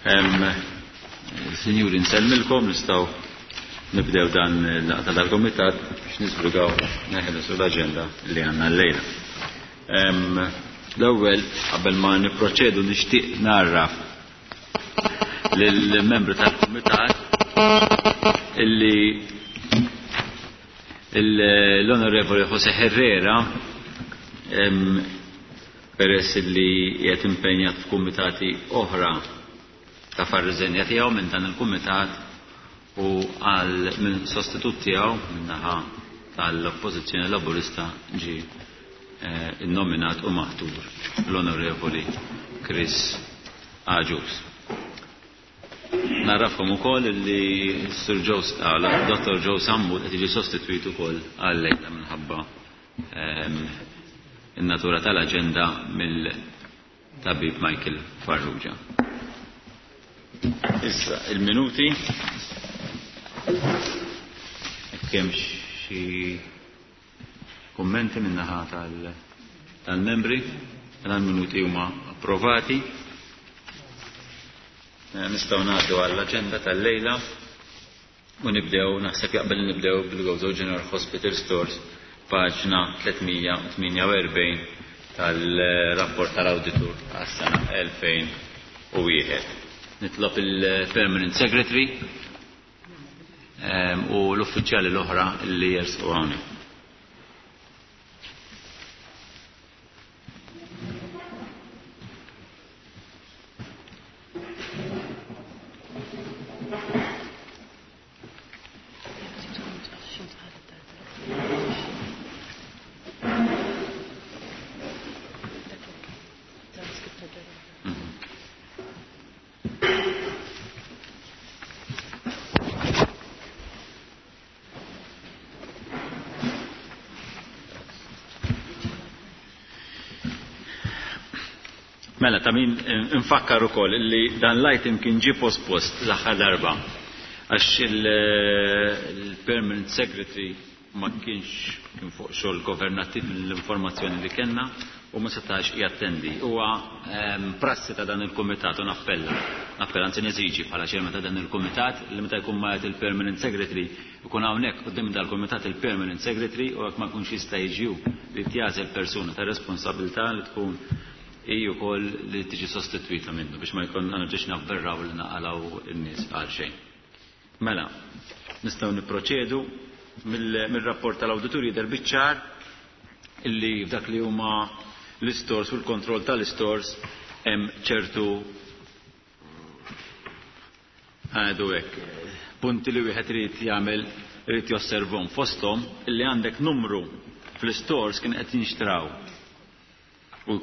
Sinjuri, nsellmilkom, nistgħu nibdew dan l-laqgħa tal-Kumitat biex niżbrugaw neħilsu l-aġenda li għandna llejla. L-ewwel qabel ma nipproċedu nixtieq narraf lill-membri tal-Kumitat illi l-Onorevoli Jose Herrera peress li qiegħed impenjat f'kumitati oħra ta' far-riżenja tiegħu minn dan il-kumitat u għal minn sostitut tiegħu min-naħa tal-Oppożizzjoni Laburista ġie innominat u maħtur l-Onorevoli Chris Agius. Narrafkom ukoll li Sir Joe Dr. Joe Sammut qed jiġi sostitwit ukoll għal-lejla minħabba in-natura tal-aġenda mill-tabib Michael Farrugia. Issa, il-minuti. Jekk hemm xi kummenti min-naħa tal-membri, mela l-minuti huma approvati. Nistgħu ngħaddu għall-aġenda tal-lejla u nibdew, naħseb jaqbel nibdew bil-Gozo General Hospital Stores, paġna 348 tal-rapport tal-awditur għas-sena 2001. Nitlob il-Permanent Secretary u l-uffiċjali l-oħra li jersqu hawnhekk. Mela, ta' min nfakkar ukoll li dan l-item kien ġie pospost l-aħħar darba għax il-Permanent Secretary ma kienx kien fuq xogħol governattiv mill-informazzjoni li kellna u ma setax jattendi. Huwa prassi ta' dan il-kumitat u nappella, nappella anzi neżiġi bħala chairman ta' dan il-kumitat li meta jkun magħet il-Permanent Secretary ikun hawnhekk quddiem dal-kumitat il-Permanent Secretary u jekk ma jkunx jista' jiġi hu li tjażel persuna ta' responsabilità li tkun hi wkoll li tiġi sostitwita minnu biex ma jkun nerġgħux navverraw li naqalgħu n-nies għal xejn. Mela, nistgħu nipproċedu mill-rapport tal-awditur jidher biċ-ċar illi f'dak li huma l-istores u l-kontroll tal-istores hemm ċertu għadu hekk punti li wieħed irid jagħmel irid josservhom fosthom illi għandek numru fl-istores kien qed jinxtraw u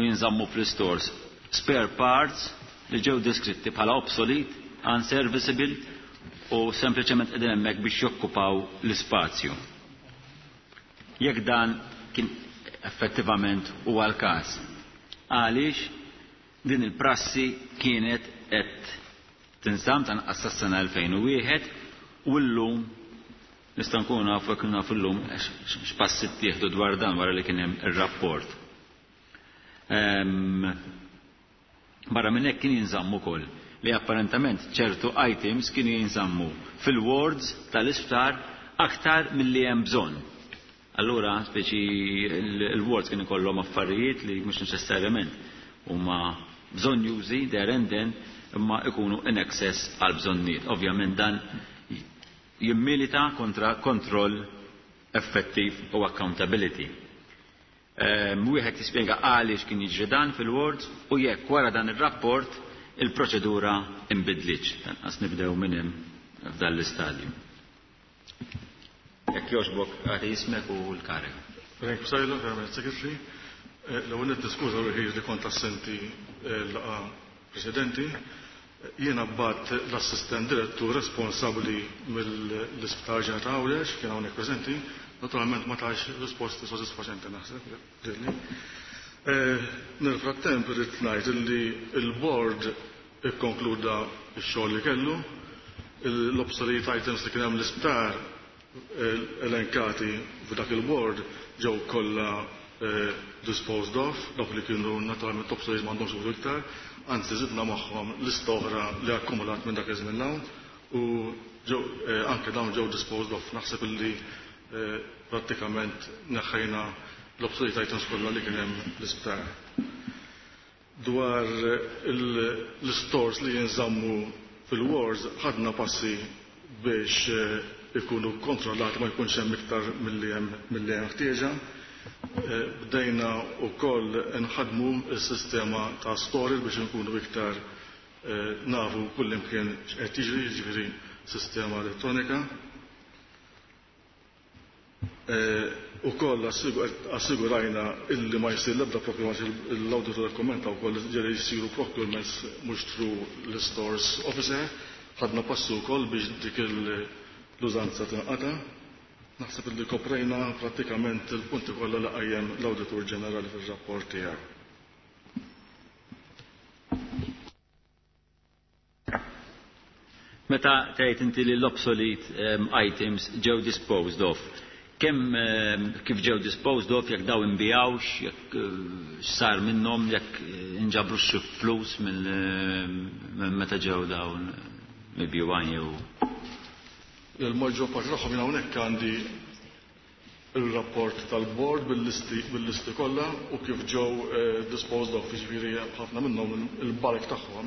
jinżammu fl-istores spare parts li ġew deskritti bħala obsolete, unserviceable u sempliċement qegħdin hemmhekk biex jokkupaw l-ispazju. Jekk dan kien effettivament huwa l-każ. Għaliex din il-prassi kienet qed tinżamm tanqas sas-sena 2001 u llum nistgħu nkunu nafu jekk nafu llum x'passi ttieħdu dwar dan wara li kien hemm ir-rapport. Barra minn hekk kien jinżamm ukoll li apparentament ċertu items kienu jinżammu fil-wards tal-isptar aktar milli hemm bżonn. Allura, speċi il-wards kien ikollhom affarijiet li mhux neċessarjament huma bżonjużi there and then imma ikunu in excess għal bżonnijiet. Ovvjament dan jimmilita kontra kontroll effettiv u accountability. Wieħed jispjega għaliex kien jiġri dan fil-wards u jekk wara dan ir-rapport il-proċedura inbidlitx. Tanqas nibdew minn hemm f'dan l-istadju. Jekk jogħġbok agħti ismek u l-kariga. Frank Psaila, Permanent Secretary. L-ewwel nett niskuża ruħi li kont assenti l-laqgħa preċedenti. Jiena bgħatt l-assistent direttur responsabbli mill-Isptar Ġenerali ta' Għawdex, kien hawnhekk preżenti. Naturalment ma tax risposti sodisfaċenti naħseb, lili. Nel frattemp irrid ngħid li l-board ikkonkluda x-xogħol li kellu, l-obsolete items li kien hemm l-isptar elenkati f'dak il-board ġew kollha disposed of, dawk li kienu naturalment obsolete m'għandhomx użu iktar, anzi żidna magħhom lista oħra li akkumulat minn dak iż-żmien hawn u ġew anke dawn ġew disposed of. Naħseb illi prattikament neħħejna l-obsolete items kollha li kien hemm l-isptar. Dwar l-stores li jinżammu fil-wards ħadna passi biex ikunu kontrollati ma jkunx hemm iktar milli hemm ħtieġa. Bdejna wkoll nħadmu s-sistema ta' storage biex nkunu iktar nafu kullimkien x'qed jiġri, jiġifieri sistema elettronika. Ukoll assigurajna illi ma jsir l-ebda procurement, l-auditor kommenta wkoll ġeri jsiru procurements mhux through l-stores officer, ħadna passu wkoll biex dik l-użanza tinqata'. Naħseb illi koprejna prattikament il-punti kollha li qajjem l-Awditur Ġenerali fir-rapport tiegħu. Meta tgħid inti li l-obsolete items ġew disposed of, kemm kif ġew disposed of, jekk daw inbijawx, jekk x'sar minnhom, jekk inġabrux xi flus minn meta ġew dawn mibjuwajn jew Il-maġġor parti tagħhom jien hawnhekk għandi il-rapport tal-board bil-listi kollha u kif ġew disposed of, jiġifieri ħafna minnhom il-bark tagħhom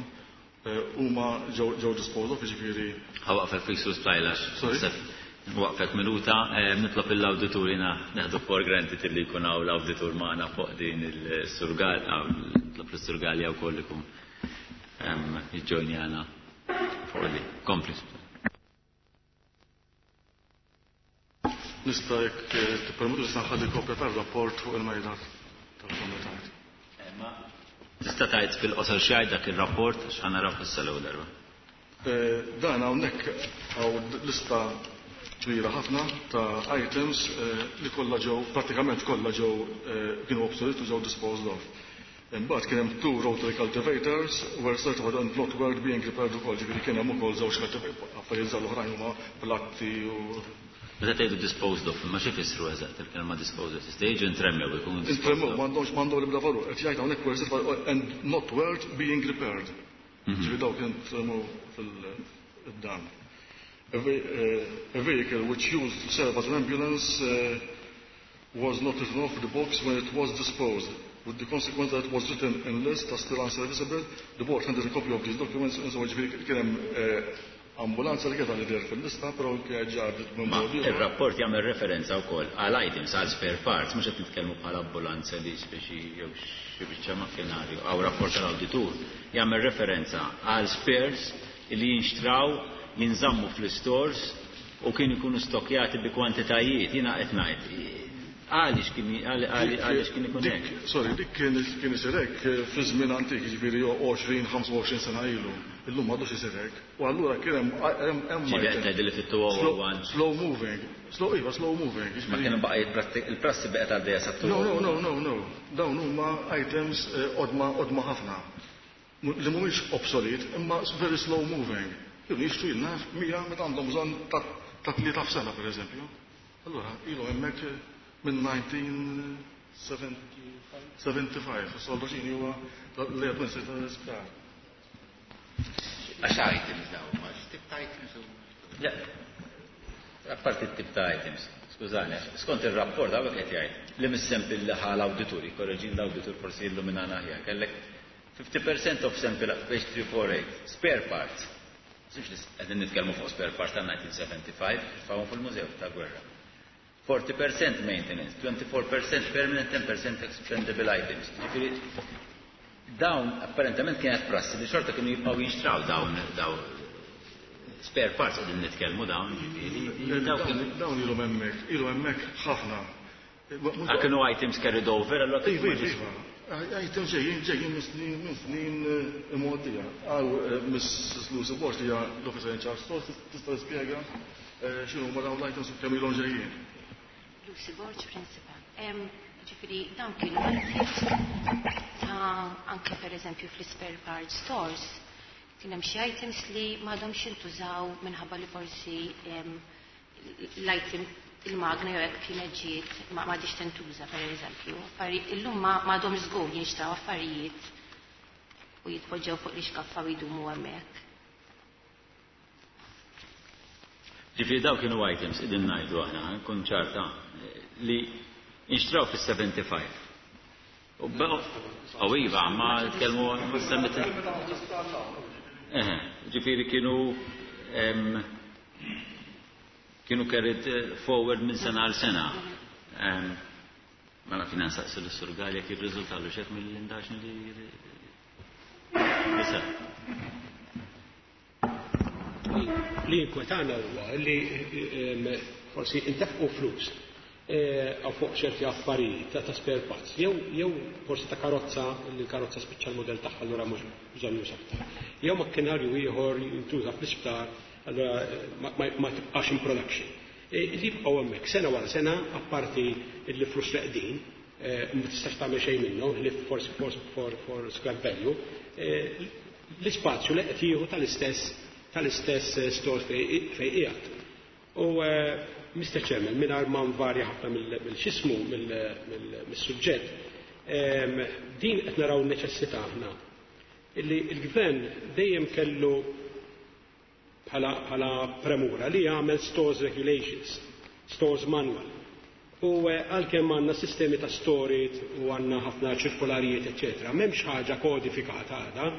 huma ġew disposed of, jiġifieri. Ħa waqfet fik sus tlajlax. Sorry? Waqfet minuta, nitlob l-awditur jiena neħdu for granted illi jkun hawn l-awditur magħna fuq din il-surgal, nitlob l-surgalja wkoll ikun jiġġojnjana fuq li. Kompli. Nista' jekk tippermettu nista' nħalli kopja tar-rapport fuq il-mejda tal-kumitat. Ma tista' tgħid fil-qosor xi jgħid dak ir-rapport għax ħa naraw issa l-ewwel darba. Dan hawnhekk hawn lista kbira ħafna ta' items li kollha ġew, prattikament kollha ġew kienu obsolete u ġew disposed of. Imbagħad kien hemm 2 rotary cultivators were certified and not worth being repaired ukoll, ġifieri kien hemm ukoll żewġ cultivators, affarijiet żgħar oħrajn huma platti u Meta tgħidu disposed of, ma xi jfissru eżatt il-kelma disposed of? Tista' jiġu intremmew ikunu disposed Intremmew, of. m'għandhomx l-ebda valur. Qed jgħid hawnhekk were certified and not worth being repaired. Ġifieri dawk kien intremmew fil-dan. A vehicle which used to serve as an ambulance was not written off the box when it was disposed, with the consequence that it was written in list as still unserviceable. The board handed a copy of these documents, and so ġifieri kien hemm ambulanza li kienet għal fil-lista, però kienet ġardet minn Ma mod ieħor. il-rapport jagħmel referenza wkoll għal items, għal spare parts, mhux qed nitkellmu bħala ambulanza li speċi jew xi biċċa makkinarju, għaw rapport tal-awditur jagħmel referenza għal spares li jinxtraw, jinżammu fl-stores u kienu jkunu stokjati bi kwantitajiet. Jiena qed ngħid, għaliex kien għaliex kien ikun Dik, hekk? sorry, dik kien isir hekk fi żmien antik, jiġifieri 20-25 sena ilu. Illum m'għadux isir hekk. U allura kien hemm Ġifieri item. qed tgħid li fit-two oh Slow one. slow moving. Slow, iva, slow moving. Ma kienu baqa' il-prassi baqgħet għaddejja sa No, no, no, no, no. Dawn huma items qodma ħafna. Li mhumiex obsolete, imma very slow moving. Kienu jixtru jilna 100 meta għandhom bżonn ta' tlieta f'sena, per eżempju. Allura, ilu hemmhekk minn 1975, is-soldaċini huwa li qed minsir tal-isptar. Għax items dawn, ma x'tip ta' items huma? Le, apparti t-tip ta' items, skużani, skont il-rapport hawnhekk qed jgħid li mis-sample li ħa l-awditur, jkorreġin l-awditur forsi illuminana aħjar, kellek 50% of sample page 348, spare parts. Sux li qegħdin nitkellmu fuq spare parts ta' 1975, fawhom fil-Mużew ta' Gwerra. 40% maintenance, 24% permanent, 10% expendable items. Ġifieri, dawn apparentement kienet prassi li xorta kienu jibqgħu jinxtraw dawn spare parts qegħdin nitkellmu dawn, ġifieri, dawn kienu Dawn ilhom hemmhekk, ilhom hemmhekk ħafna. Ah, kienu items carried over, allora Iva, kienu iva, iva. Items ġejjin minn snin, minn snin imgħoddija. Għaw Miss Lucy Borg li hija l-officer in charge stores tista' tispjega x'inhu huma dawn l-items u kemm ilhom ġejjin. Lucy Borg, Principal. Ġifieri, dawn kienu items ta' anke per eżempju fl-spare parts stores. Kien hemm xi items li m'għadhomx jintużaw minħabba li forsi l-item il-magna jew hekk kienet ġiet ma m'għadhiex tintuża pereżempju. Illum m'għadhomx żgur jinxtraw affarijiet u jitpoġġew fuq l-ixkaffa u jdumu hemmhekk. Ġifieri dawn kienu items qegħdin ngħidu aħna, nkun ċarta, li inxtraw fis-75. U baqgħu iva, ma tkellmu ma semmit. Eħe, ġifieri kienu kienu carried forward minn sena għal sena. Mela kien nsaqsi l-Sur Galea jekk irriżultalu x'hekk mill-indaġni li li Li jinkwetana huwa li forsi intefqu flus fuq ċerti affarijiet ta' spare parts, jew forsi ta' karozza li l-karozza spiċċa l-modell tagħha allura mhux bżonn juża aktar. Jew makkinarju ieħor jintuża fl-isptar allura ma tibqax in production. Li jibqgħu hemmhekk sena wara sena apparti li flus reqdin, ma tistax tagħmel xejn minnhom, li forsi for scrap value, l-ispazju li qed jieħu tal-istess store fejn qiegħed. U Mr. Chairman, mingħajr ma nvarja ħafna mill-xismu, mill-suġġett, din qed naraw neċessità aħna illi l-gvern dejjem kellu bħala premura li jagħmel stores regulations, stores manual. U għalkemm għandna sistemi ta' storage u għandna ħafna ċirkolarijiet, eċċetera, m'hemmx ħaġa kodifikata għadha,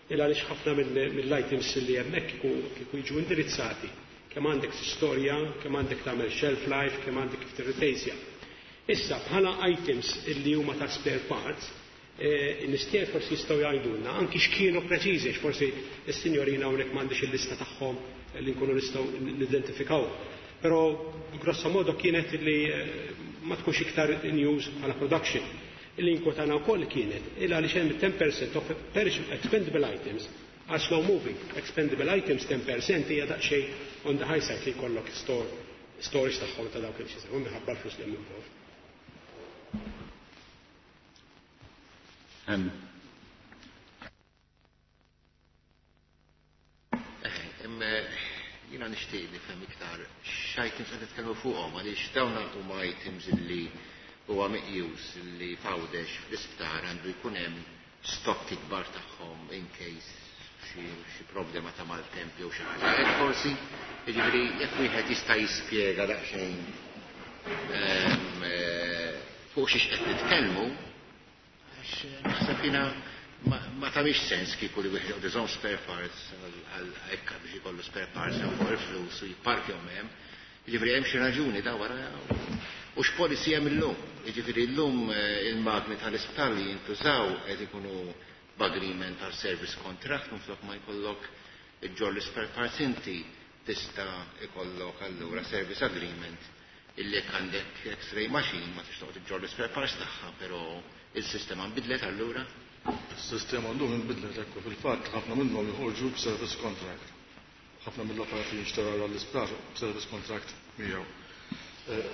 il għaliex ħafna mill-items li hemmhekk kieku jiġu indirizzati. Kemm għandek storja, kemm għandek tagħmel shelf life, kemm għandek kif tirreplacja. Issa bħala items illi huma ta' spare parts, nistier forsi jistgħu jgħidulna anki x'kienu preċiżi, forsi s-sinjorina hawnhekk m'għandix il-lista tagħhom li nkunu nistgħu nidentifikaw. Però grosso modo kienet li ma tkunx iktar in use bħala production. Illi inkwetana wkoll kienet il għaliex hemm 10% of perishable expendable items are slow moving. Expendable items 10% hija daqsxejn on the high side li jkollok storage tagħhom ta' dawk il-xi minħabba l-flus li hemm involved. Jiena nixtieq nifhem iktar x'items qed nitkellmu fuqhom għaliex dawn huma items illi huwa meqjus li f'Għawdex fl-isptar għandu jkun hemm stock ikbar tagħhom in case xi problema ta' maltemp jew xi ħaġa. Hekk forsi, jiġifieri jekk wieħed jista' jispjega daqsxejn fuq xiex qed nitkellmu, għax naħseb jiena ma tagħmilx sens kieku li wieħed joqgħod iżomm spare parts għal hekk biex ikollu spare parts jew fuq il-flus u jipparkjhom hemm. Jiġifieri hemm xi raġuni da wara u x'policy hemm illum. Jiġifieri llum il-magni tal-isptar li jintużaw qed ikunu b'agreement tal service contract minflok ma jkollok iġġorr l-spare parts inti tista' ikollok allura service agreement illi jekk għandek X-ray machine ma tix toqgħod iġġorr l-spare parts tagħha, però il-sistema nbidlet allura. Is-sistema llum inbidlet hekk fil-fatt ħafna minnhom joħorġu b'service contract. Ħafna mill-apparati jinxtaraw għall-isptar b'service contract miegħu.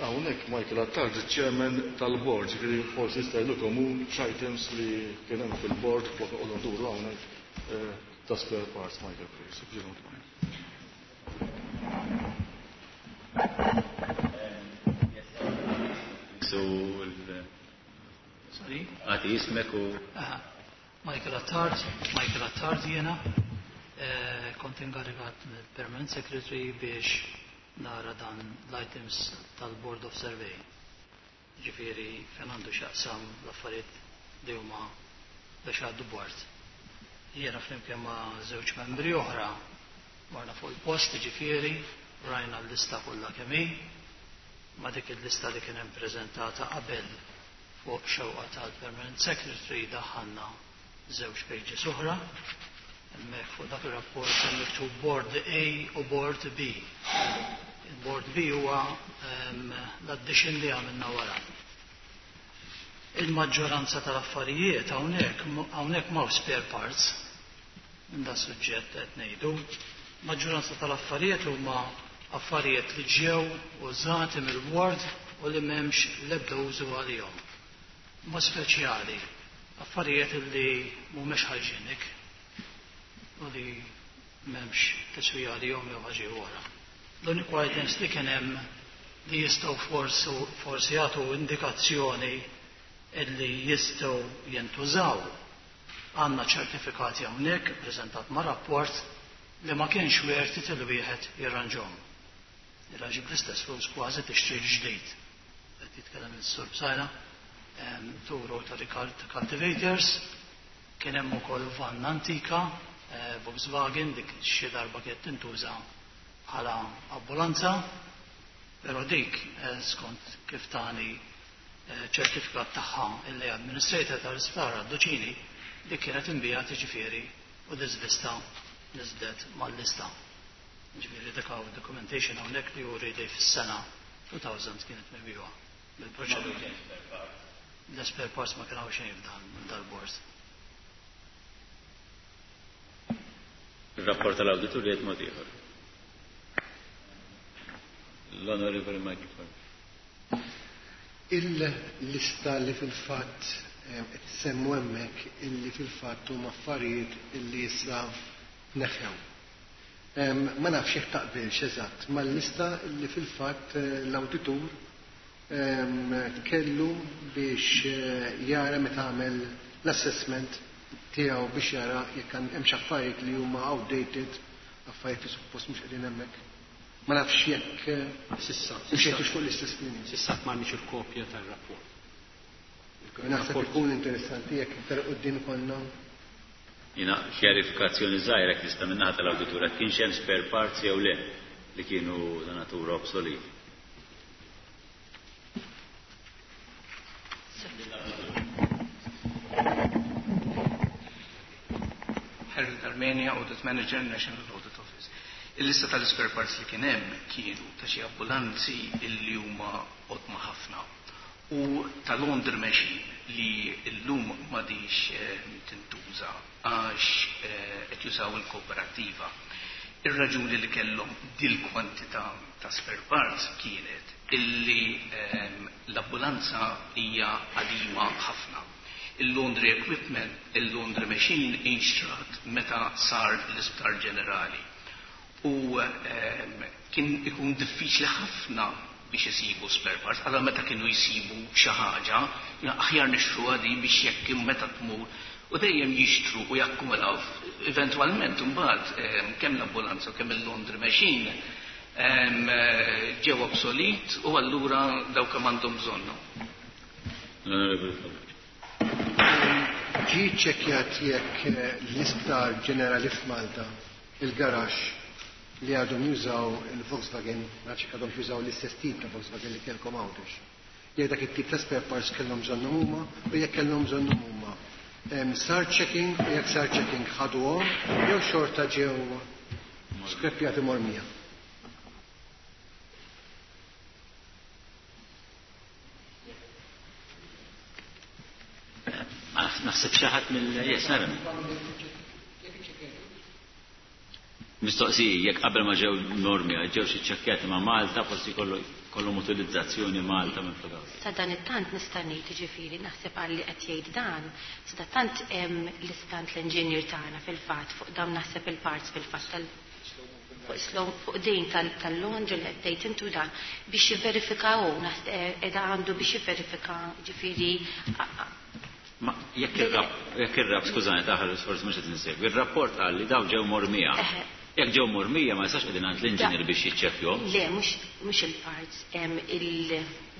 Hawnhekk Michael Attard, il-chairman tal-board, ġifieri forsi jista' jgħidilkom hu x'items li kien hemm fil-board flok noqogħdu nduru hawnhekk ta' spare parts, Michael, please, if you don't mind. So, Sorry? Għati jismek u Aha. Michael Attard, Michael Attard jena, kont ingarigat mill-Permanent Secretary biex nara dan l-items tal-Board of Survey. Ġifieri fejn għandu x'jaqsam l-affarijiet li huma biex għaddu board. Jiena flimkien ma' żewġ membri oħra marna fuq il-post, ġifieri rajna l-lista kollha kemm hi, ma' dik il-lista li kien hemm preżentata qabel fuq xewqa tal-Permanent Secretary daħħalna żewġ pages oħra. Hemmhekk fuq dak ir-rapport hemm miktub Board A u Board B. Il-Board B huwa l-addition li għamilna wara. Il-maġġoranza tal-affarijiet hawnhekk m'hawn spare parts minn da suġġett qed ngħidu. Maġġoranza tal-affarijiet huma affarijiet li ġew użati mill-ward u li m'hemmx l-ebda użu għalihom. Ma speċjali, affarijiet li mhumiex hygienic u li m'hemmx tiswija għalihom jew ħaġa oħra. L-uniku items li kien hemm li jistgħu forsi jagħtu indikazzjoni illi jistgħu jintużaw. Għandna ċertifikati hawnhekk ippreżentat ma' rapport li ma kienx worth it il wieħed jirranġhom. Jirranġi bl-istess flus kważi tixtri ġdid. Qed jitkellem is-Sur Psaila, two rotary cultivators, kien hemm ukoll van antika, Volkswagen, dik xi darba kienet tintuża bħala ambulanza, però dik skont kif tani ċertifikat tagħha illi administrator tal-isptar Duċini, dik kienet imbijat ġifieri u diżvista niżdet mal-lista. Ġifieri dik hawn documentation hawnhekk li juri li fis-sena 2000 kienet mibjuha bil-proċedura. L-spare parts ma kien hawn xejn f'dan dal-bord. Il-rapport tal-awditur jgħid mod ieħor. L-Onorevoli Michael Farrugia. Il-lista li fil-fatt qed semmu hemmhekk illi fil-fatt huma affarijiet illi issa neħew. Ma nafx jekk taqbilx eżatt mal-lista illi fil-fatt l-awditur kellu biex jara meta għamel l-assessment tiegħu biex jara jekk hemm xi affarijiet li huma outdated, affarijiet li suppost mhux qegħdin hemmhekk. Ma nafx jekk Sissa, mxejtux fuq l-istess linja. Sissa m'għandniex il-kopja tar-rapport. Naħseb ikun interessanti jekk iktar quddiem konna. Jiena kjarifikazzjoni żgħira jekk tista' min-naħa tal-awditur jekk kienx hemm spare parts jew le li kienu ta' natura obsolete. Harold Armenia, Audit Manager, National Audit Office. Il-lista tal-spare parts li kien hemm kienu ta' xi ambulanzi illi huma qodma ħafna u ta' laundry machine li llum m'għadix tintuża għax qed jużaw il-kooperattiva. Ir-raġuni li kellhom dil-kwantità ta' spare parts kienet illi l-ambulanza hija qadima ħafna. Il-laundry equipment, il-laundry machine inxtrat meta sar l-isptar ġenerali. U kien ikun diffiċli ħafna biex isibu spare parts, għala meta kienu jisibu xi ħaġa, aħjar nixtru għadi biex jekk meta tmur, u dejjem jixtru u jakkumulaw. Eventwalment imbagħad kemm l-ambulanza u kemm il-laundry machine ġew obsolet u allura dawk kemm għandhom bżonnu. L-Onorevoli Farrugia. Ġie ċċekkjat jekk l-isptar ġenerali f'Malta, il-garax li għadhom jużaw il-Volkswagen, ma nafx għadhom jużaw l-istess tip ta' Volkswagen li kellkom Għawdex. Jekk dak it-tip ta' spare parts kellhom bżonnhom huma u jekk kellhom bżonnhom huma. Sar checking u jekk sar checking ħaduhom jew xorta ġew skreppjati mormija. Naħseb xi ħadd mill yes, nara. Mistoqsija, jekk qabel ma ġew normi, ġew xi ċekkjati ma' Malta, forsi kollhom utilizzazzjoni Malta minn flok. Sa dan it-tant nista' ngħid jiġifieri naħseb għal li qed jgħid dan, sa dan tant l-istant l-engineer tagħna fil-fatt fuq dawn naħseb il-parts fil-fatt tal fuq slow fuq din tal-laundry li qed tgħid intu dan biex jivverifikaw qiegħda għandu biex jivverifika ġifieri. Ma jekk ir-rap, skużani taħal forsi mhux qed insegwi, ir-rapport qal li daw ġew mormija. Jekk ġew mormija ma jistax qegħdin għand l-inġinier biex jiċċekkjhom. Le, mhux il-parts,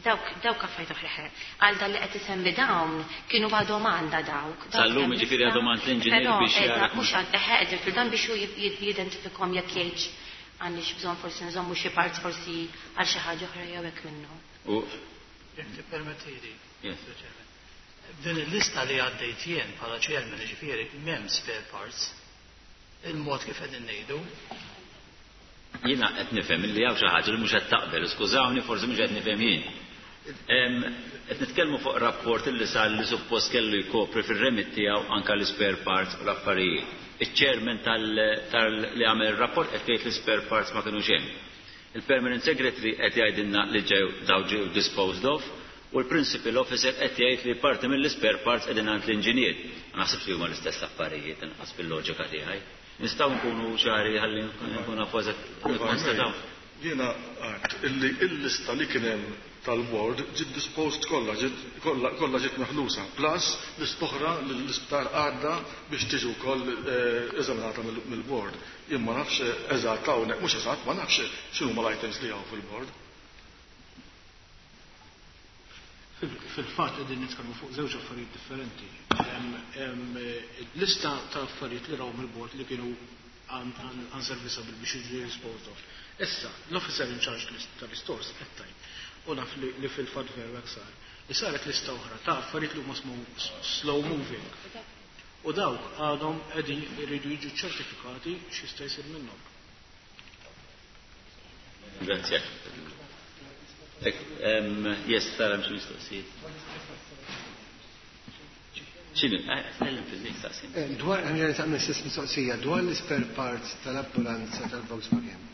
dawk affarijiet oħra. Għal dan li qed isemmi dawn kienu għadhom għandha dawk. Sal-lum jiġifieri għadhom għand l-inġinier biex jara. Mhux għand, qegħdin fil dan biex hu jidentifikhom jekk jgħidx għandix bżonn forsi nżommu xi parts forsi għal xi ħaġa oħra jew hekk minnu. U jekk tippermettili. Yes. Din il-lista li għaddejt jien bħala chairman jiġifieri m'hemm spare parts. Il-mod kif qegħdin ngħidu. Jiena qed nifhem illi hawn xi ħaġa li mhux qed taqbel, skużawni forsi mhux qed nifhem jien. Qed nitkellmu fuq rapport illi sar li suppost kellu jkopri fir-remit tiegħu anke l-spare parts u l-affarijiet. Iċ-chairman tal li għamel ir-rapport qed jgħid li spare parts ma kinux hemm. Il-permanent secretary qed jgħidilna li ġew daw ġew disposed of u l-principal officer qed jgħid li parti mill-spare parts qegħdin għand l-inġinier. Ma naħsibx li huma l-istess affarijiet inqas fil-loġika tiegħi. Nistgħu nkunu ċari ħalli nkunu nafu eżatt nikkonstataw. Jiena għedt illi il-lista li kien hemm tal-board ġiet disposed kollha, ġiet kollha ġiet meħlusa, plus lista oħra li l-isptar għadda biex tiġi wkoll eżaminata mill-board. Jien ma nafx eżatt hawnhekk, mhux eżatt, ma nafx x'inhuma l-items li hawn fil-board. Fil-fatt qegħdin nitkellmu fuq żewġ affarijiet differenti. Lista ta' affarijiet li raw mill-board li kienu unserviceable biex jiġu disposed of. Issa, l-officer in charge tal-istores qed tgħid, u naf li fil-fatt veru hekk sar, li saret lista oħra ta' affarijiet li huma slow moving. U dawk għadhom qegħdin iridu jiġu ċertifikati x'jista' jsir minnhom. Grazie. Yes, tara xi mistoqsijiet. X'inhu? Tkellem fil-dik staqsi. Dwar għandna nagħmel l-istess mistoqsija dwar l-spare parts tal-ambulanza tal-Volkswagen.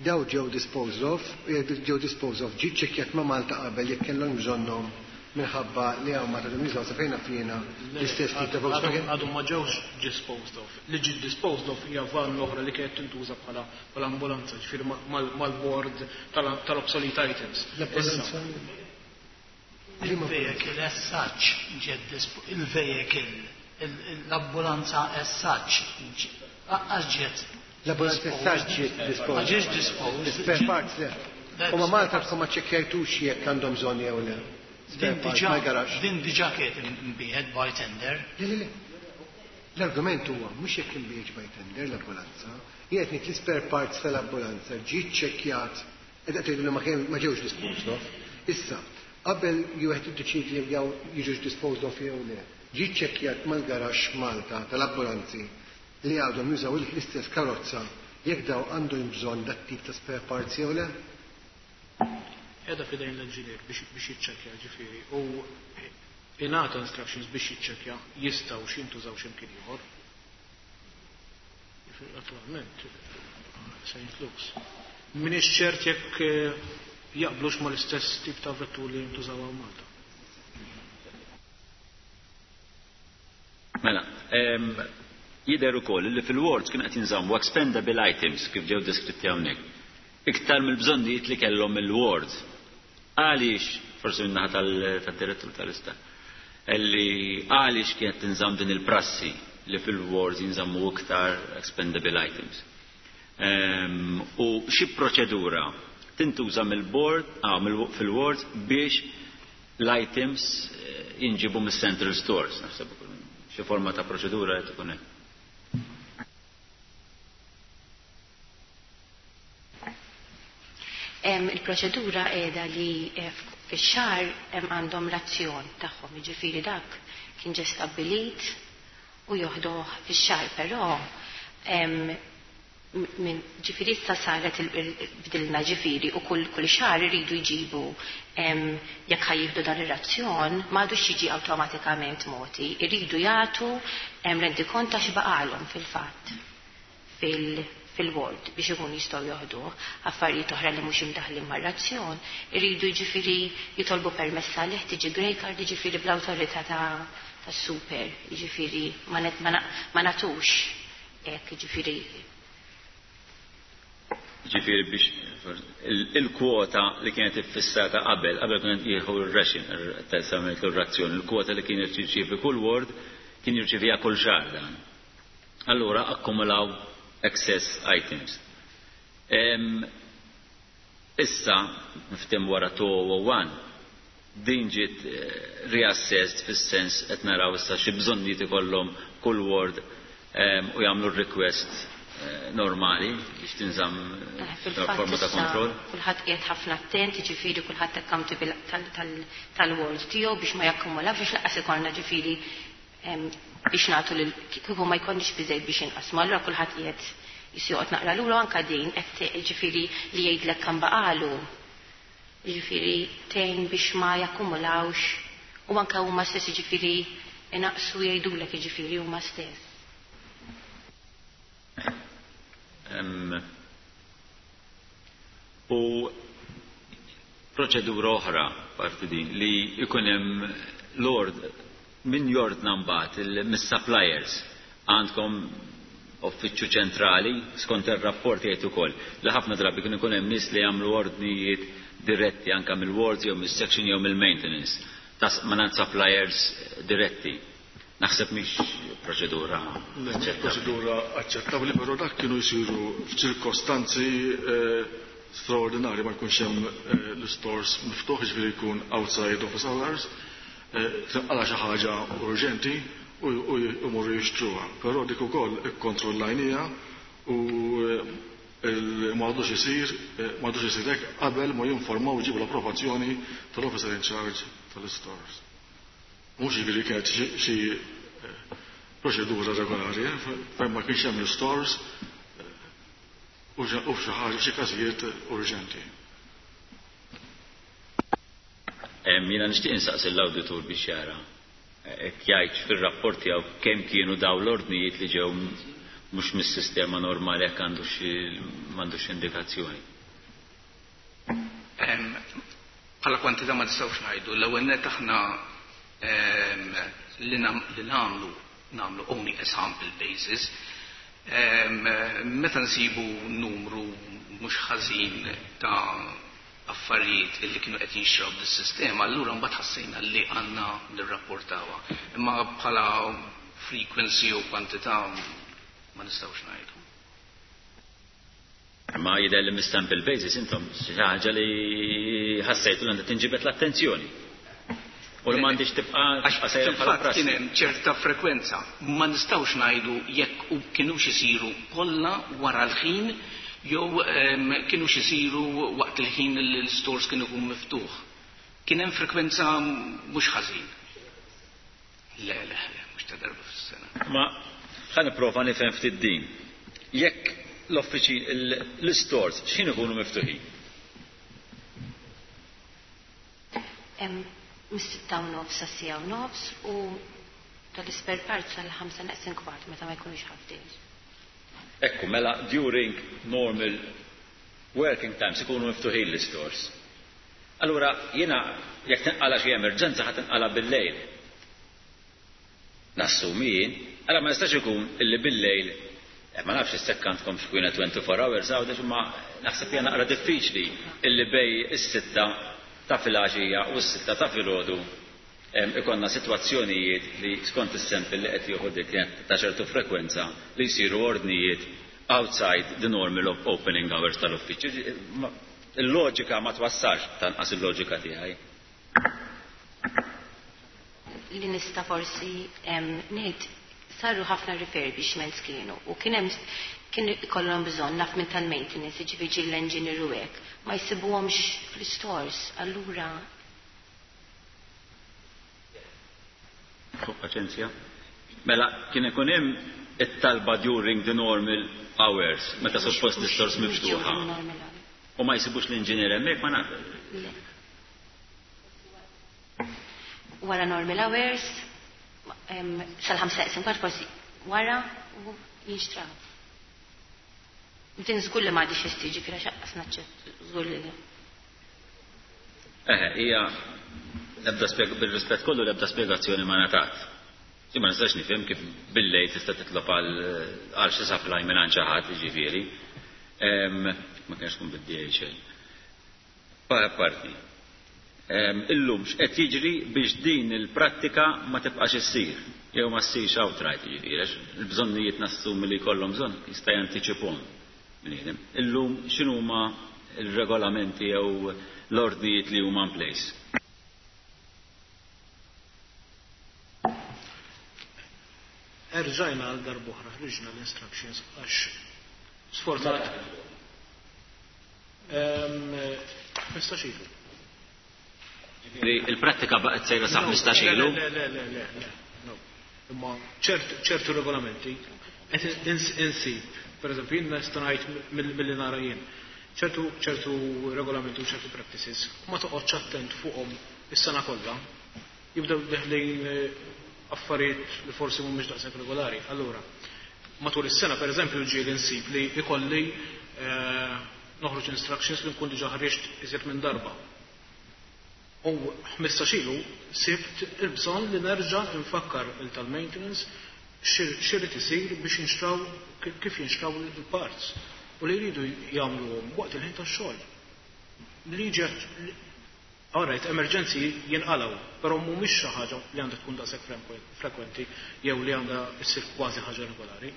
Daw ġew disposed of, ġew disposed of, ġie ċċekkjat ma' Malta qabel jekk kellhom bżonnhom minħabba li hawn ma tagħhom jużaw sa fejn jiena l-istess tip ta' Volkswagen. Għadhom ma ġewx disposed of. Li ġiet disposed of hija van l-oħra li kienet tintuża bħala ambulanza, ġifieri mal-board tal-obsolete items. L-ambulanza? Il-vehicle as such ġiet il-vehicle, l-ambulanza as such għax ġiet L-ambulanza as such ġiet disposed. Ma ġietx disposed. Spare parts le. U ma Malta tkun ma ċekkjajtux jekk għandhom bżonn jew le. Din diġà kienet imbiegħet by tender. Le, le, le. L-argument huwa mhux jekk imbiegħet by tender l-ambulanza, jien qed ngħid l-spare parts tal-ambulanza ġiet ċekkjat qed tgħidu li ma ġewx disposed of. Issa, qabel wieħed iddeċiedi jekk jew jiġux disposed of jew le, ġiet ċekkjat mal-garaxx Malta tal-ambulanzi li għadhom jużaw l-istess karozza jekk daw għandhom bżonn dat tip ta' spare parts jew le? Qiegħda f'idejn l-engineer biex jiċċekkja, ġifieri, u ingħata instructions biex jiċċekkja jistgħu x'intużaw x'imkien ieħor. Ġifieri attualment se jintlux. M'iniex ċert jekk jaqblux mal-istess tip ta' vetturi li jintużaw hawn Malta. Mela, jidher ukoll li fil-wards kienu qed jinżammu expendable items kif ġew deskritti hawnhekk. Iktar mill-bżonnijiet li kellhom il-ward. Għaliex, forsi min-naħa tad-direttur tal-istat, li għaliex kienet tinżamm din il-prassi li fil-wards jinżammu iktar expendable items. U xi proċedura tintuża mill-board, fil-wards biex l-items jinġibu mis-central stores, naħseb xi forma ta' proċedura qed ikun hemm. Il-proċedura qiegħda li fix-xahar hemm għandhom razzjon tagħhom, jiġifieri dak kien ġie stabbilit u joħduh fix-xahar, però minn ġifieri issa saret bdilna ġifieri u kull xahar iridu jġibu jekk ħajjieħdu dan ir-razzjon ma għadux jiġi awtomatikament moti, iridu jagħtu rendikont ta' x'baqalhom fil-fatt fil-ward biex ikun jistgħu joħduh. Affarijiet oħra li mhux imdaħlin mar-razzjon iridu jiġifieri jitolbu permess għalih, tiġi grey card, jiġifieri bl-awtorità tas-super, jiġifieri ma nagħtux hekk, jiġifieri. Ġifieri biex il-kwota li kienet iffissata qabel, qabel kienet jieħu r-ration, il-razzjon, il-kwota li kien jirċievi kull ward kien jirċieviha kull xahar dan. Allura akkumulaw excess items. Issa, niftem wara 2001, din ġiet reassessed fis-sens qed naraw issa xi bżonnijiet ikollhom kull ward u jagħmlu r-request normali biex tinżamm forma ta' kontroll. Kulħadd qiegħed ħafna attent, jiġifieri kulħadd accountable tal-ward tiegħu biex ma jakkumulax, biex lanqas ikollna ġifieri biex nagħtu lil kieku ma jkollniex biżejjed biex inqasmu. Allura kulħadd qiegħed jisjoqgħod naqra lura anke din qed jiġifieri li jgħidlek kemm baqalu. Jiġifieri tgħin biex ma jakkumulawx u anke huma stess jiġifieri inaqsu jgħidulek jiġifieri huma stess. U proċedura oħra parti din li jkun hemm lord min jordna mbagħad mis-suppliers għandkom uffiċċju ċentrali, skont ir-rapport jgħid ukoll li ħafna drabi kien ikun hemm nies li jagħmlu ordnijiet diretti anke mill-wards jew mis-section jew mill-maintenance ta' mingħand suppliers diretti. Naħseb mhix proċedura aċċettabbli. Proċedura aċċettabbli, però dak kienu jsiru f'ċirkostanzi straordinarji, ma jkunx hemm l-istores miftuħ, jiġifieri jkun outside office hours, tinqala' xi ħaġa urġenti u jmorru jixtruha. Però dik ukoll ikkontrollajniha u ma għadux isir, ma għadux isir hekk qabel ma jinformaw jġibu l-approvazzjoni tal-officer in charge tal-istores. Mhux jiġifieri kienet xi proċedura regolari, fejn ma kienx hemm l-stores u f'xi ħaġa f'xi każijiet urġenti. Jiena nixtieq insaqsi l-awditur biex jara jekk jgħidx fir-rapport tiegħu kemm kienu daw l-ordnijiet li ġew mhux mis-sistema normali jekk għandu xi m'għandux indikazzjoni. Bħala kwantità ma nistgħux ngħidu, l-ewwel nett aħna li nagħmlu nagħmlu only a sample basis. Meta nsibu numru mhux ħażin ta' affarijiet illi kienu qed jinxtraw bis-sistema, allura mbagħad ħassejna li għandna nirrapportawha. Imma bħala frequency u kwantità ma nistgħux ngħidu. Ma jidher li mis-sample basis intom xi ħaġa li ħassejtu li għandha tinġibed l-attenzjoni. U li m'għandix tibqa' Għax sejra bħala fil-fatt prassi. kien hemm ċerta frekwenza. Ma nistgħux ngħidu jekk u kinux isiru kollha wara l-ħin jew kinux isiru waqt il-ħin li l-stores kienu jkun miftuħ. Kien hemm frekwenza mhux ħażin. Le, le, le, mhux ta' darba fis-sena. Ma ħa nipprova nifhem ftit din. Jekk l-uffiċi l-stores x'ħin ikunu miftuħin? Mis-6:30 sa 6:30 u tal-spare parts sal-5 neqsin kwart meta ma jkunux half days. Ekku, mela during normal working times ikunu miftuħin l-stores. Allura jiena jekk tinqala xi emerġenza ħa tinqala bil-lejl. Nassumi jien, allora ma jistax ikun illi bil-lejl, ma nafx issekk għandkom x'kwiena 24 hours għawdex, imma naħseb hija naqra diffiċli illi bej is-6 ta' filgħaxija u s-6 ta' filgħodu ikonna sitwazzjonijiet li skont is-sample li qed jieħu dik kienet ta' ċertu frekwenza li jsiru ordnijiet outside the normal opening hours tal-uffiċċju. Il-loġika ma twassalx tanqas il-loġika tiegħi. Li nista' forsi ngħid saru ħafna refurbishments kienu u kien hemm kien ikollhom bżonn naf minn tal-maintenance, jiġifieri l-engineer u hekk, ma jsibuhomx fl-stores, allura Fuq paċenzja. Mela kien ikun hemm it-talba during the normal hours, meta suppost l-stores miftuħa. U ma jsibux l-inġinier hemmhekk ma naf. Wara normal hours, sal-5 neqsin kwart forsi wara u jinxtraw. Din żgur li ma għadix jistiġi kif għax aqas naċċett, żgur li le. Eħe, hija l-ebda spjeg-, bil-rispett kollu l-ebda spjegazzjoni ma ngħatat. Jien ma nistax nifhem kif bil-lejl tista' titlob għal xi supply minn xi ħadd, jiġifieri. Ma kienx tkun bid-DHL. Parti. Illum x'qed jiġri biex din il-prattika ma tibqax issir, jew ma ssirx outright, jiġifieri, għax il-bżonnijiet nassumi li jkollhom bżonn jista' jantiċiphom bniedem. Illum x'inhuma il-regolamenti jew l-ordnijiet li huma in place? Erġajna għal darb'oħra ħriġna l-instructions għax sfortunat. 15 ilu. Ġifieri il-prattika baqgħet sejra sa 15 ilu? Le, le, le, le, le, no. Imma ċertu regolamenti qed insib, per eżempju, jien nista' ngħid milli nara jien, ċertu regolamenti u ċertu practices ma toqgħodx attent fuqhom is-sena kollha, jibdew deħlin affarijiet li forsi mhumiex daqshekk regolari. Allura, matul is-sena pereżempju ġieli nsib li ikolli noħroġ instructions li nkun diġà ħriġt iżjed minn darba. U 15 ilu sibt il-bżonn li nerġa' nfakkar il tal-maintenance x'irid isir biex jinxtraw kif jinxtraw il-parts u li jridu jagħmluhom waqt il-ħin tax-xogħol. Li ġet All right, emerġenzi jinqalgħu, però mhumiex xi ħaġa li għandha tkun daqshekk frekwenti jew li għandha ssir kważi ħaġa regolari.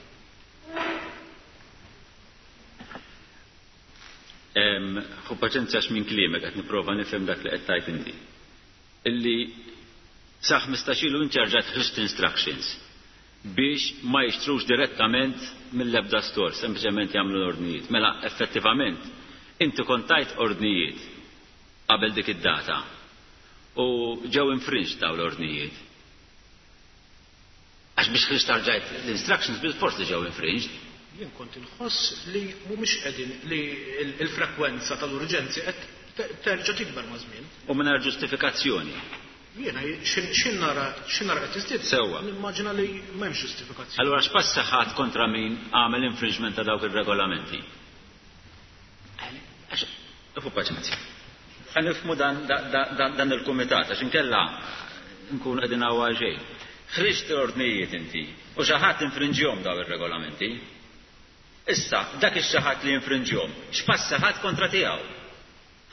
Ħu paċenzja għax minn kliemek qed nipprova nifhem dak li qed tgħid inti. Illi sa 15 ilu inti rġajt ħriġt instructions biex ma jixtrux direttament mill-ebda store, sempliċement jagħmlu l-ordnijiet. Mela effettivament inti kont tajt ordnijiet qabel dik id-data u ġew infringed dawn l-ordnijiet. Għax biex ħriġt rġajt l-instructions bil-fors li ġew infringed. Jien kont inħoss li mhumiex qegħdin li l-frekwenza tal-urġenzi qed terġa' tikber maż-żmien. U mingħajr ġustifikazzjoni. Jiena x'in nara x'in nara qed tiżdied. Sewwa. Nimmaġina li m'hemmx ġustifikazzjoni. Allura x'pass ħadt kontra min għamel infringement ta' dawk ir-regolamenti? Għax, fu paċenzja. Ħa nifhmu dan dan il-kumitat għax inkella nkunu qegħdin hawn għal xejn. Ħriġt l-ordnijiet inti u xi ħadd infrinġihom dawn ir-regolamenti. Issa, dak ix-xi ħadd li infrinġihom, x'pass ħadt kontra tiegħu?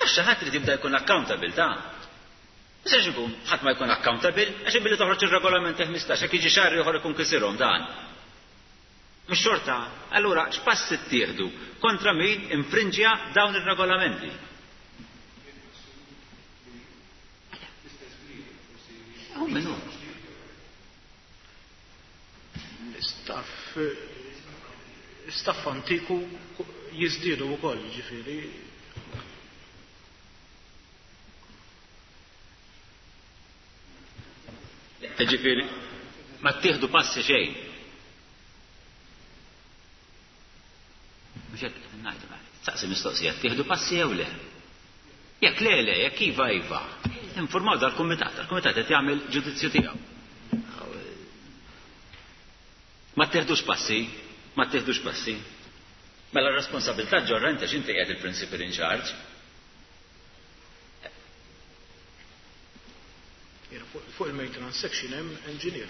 Għax xi ħadd irid jibda jkun accountable ta'. Ma jistax ikun ħadd ma jkun accountable għax billi toħroġ ir-regolamenti 15 jekk jiġi xahar ieħor ikun kisirhom dan. Mhux xorta, allura x'passi ttieħdu kontra min infrinġja dawn ir-regolamenti? Hu min hu. L-istaff staff antiku jiżdiedu wkoll, jiġifieri. Ġifieri, ma ttieħdu passi xejn. Mhux hekk qed ngħidu mela. Saqsi mistoqsija, ttieħdu passi jew le? Jekk le le, jekk iva iva. Informaw dal-kumitat, dal-kumitat qed jagħmel ġudizzju tiegħu. Ma ttieħdux passi, ma ttieħdux passi. Mela r-responsabilità ġorra inti għax inti qiegħed il-principal in charge. Fuq il-maintenance section hemm engineer.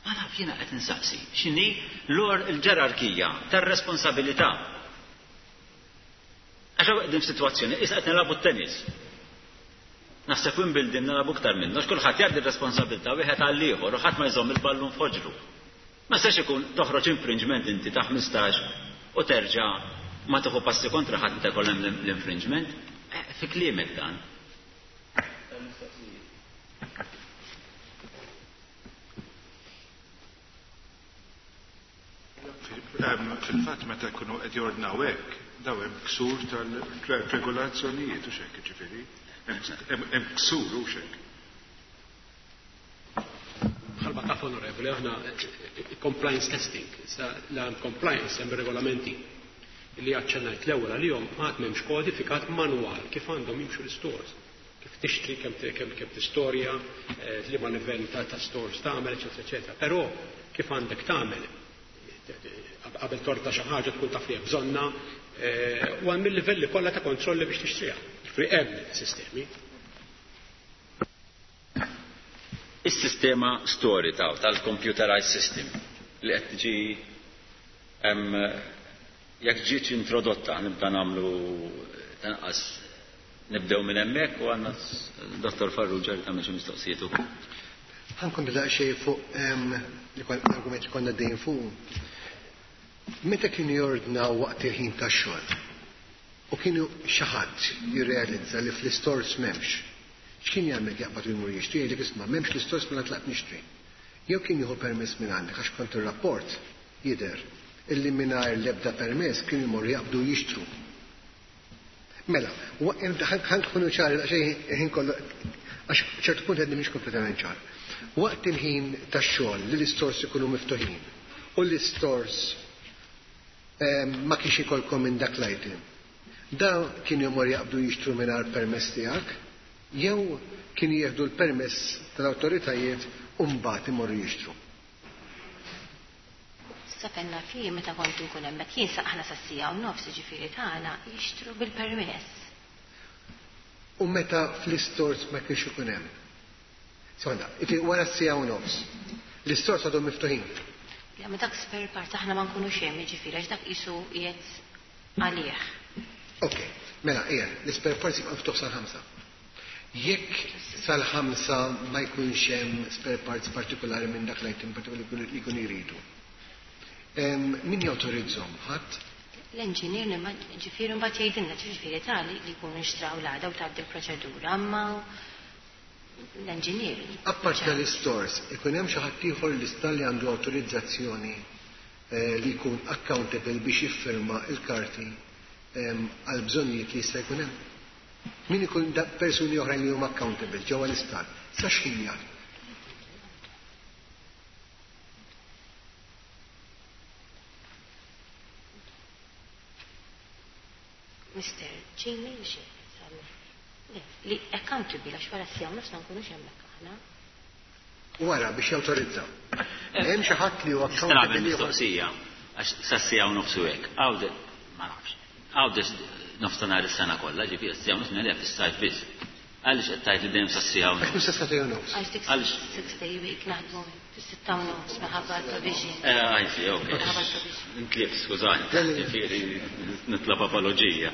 Ma naf jiena qed insaqsi x'inhi l-or il-ġerarkija tar-responsabilità. Għax hawn qegħdin f'sitwazzjoni issa qed nilagħbu t-tennis. Naħseb Wimbledon nilagħbu iktar minnu għax kulħadd jgħaddi r-responsabilità wieħed għall-ieħor u ħadd ma jżomm il-ballun f'ħoġru. Ma jistax ikun toħroġ infringement inti ta' 15 u terġa' ma tieħu passi kontra ħadd meta jkun hemm l-infringement. Fi kliemek dan. Fil-fatt meta jkunu qed jordnaw hekk, daw hemm ksur tal-regolazzjonijiet u x'hekk, jiġifieri, hemm ksur u x'hekk. Bħalma taf onorevoli, aħna compliance testing, issa la compliance hemm regolamenti li aċċennajt l-ewwel għalihom għad m'hemmx kodifikat manwal kif għandhom jimxu l-stores. Kif tixtri, kemm kemm tistorja, liema livell ta' stores tagħmel, eċetera, eċetera. Però kif għandek tagħmel qabel torta xi ħaġa tkun taf li hemm bżonna u hemm il-livelli kollha ta' kontrolli biex tixtriha. Ġifieri hemm sistemi. Is-sistema story tal-computerized system li qed tiġi jekk ġietx introdotta nibda nagħmlu tanqas nibdew minn hemmhekk u għandna Dottor Farrugia li tagħmel xi mistoqsijiet ukoll. Ħa nkompli daqsxejn fuq l-argument li konna dejjem fuq. Meta kienu jordnaw waqt il-ħin tax-xogħol u kienu xi ħadd jirrealizza li fl-istores m'hemmx, x'kien jagħmel jaqbad u jmur jixtri jgħidlek isma' m'hemmx l-istores mela tlaqt nixtri. Jew kien jieħu permess minn għandek għax kont ir-rapport jidher illi mingħajr l-ebda permess kienu jmorru jaqbdu jixtru. Mela, ħa nkunu ċari daqsxejn ħin kollu għax ċertu punt għedni mhix kompletament ċar. Waqt il-ħin tax-xogħol li l-istores ikunu miftuħin u l-istores ma kienx ikolkom minn dak l-item. Da kienu jmorru jaqbdu jixtru mingħajr permess tiegħek jew kienu jieħdu l-permess tal-awtoritajiet u mbagħad imorru jixtru. Sa penna fi meta kont nkun hemmhekk jien sa aħna sa siegħa u nofs jiġifieri tagħna jixtru bil-permess. U meta fl-istores ma kienx ikun hemm. Sekonda, wara s-siegħa u nofs. L-istores għadhom miftuħin. Le, ma dak spare parts aħna ma nkunux hemm, jiġifieri għax dak qisu qiegħed għalih. Ok, mela qiegħed, l-ispare parts jibqa' miftuħ sal-ħamsa. Jekk sal-ħamsa ma jkunx hemm spare parts partikolari minn dak l-item partikolari li jkunu jridu. Min jawtorizzhom? Ħadd? L-engineer ġifieri mbagħad jgħidilna ġifieri tali li jkunu nxtraw l-għada u tgħaddi l-proċedura, imma l-engineer. Apparti tal-istores, ikun hemm xi ħadd ieħor l-isptar li għandu awtorizzazzjoni li jkun accountable biex jiffirma l-karti għal bżonnijiet li jista' jkun hemm? Min ikun persuni oħrajn li huma accountable ġewwa l-isptar? Sa x'ħin jaħdmu? Mister Jamie li Le, li accountable għax wara s-sija u nofs ma nkunux hemmhekk aħna. Wara biex jawtorizza. Hemm xi ħadd li huwa accountable. Nagħmel mistoqsija għax sas-sija u nofs u hekk. Għawde, ma nafx. Għawde nofstanhar is-sena kollha, ġifieri s-sija u nofs ngħidha fis-sajf biss. Għaliex qed tgħid li dejjem sas-siegħa u nofs? Għax mhux sas-sagħtejn u nofs. Għax dik six day week naħdmu fis-sitta u nofs minħabba l-provision. Eh, I see, ok. Minħabba l-provision. Intlif, skużani, ġifieri nitlob apoloġija.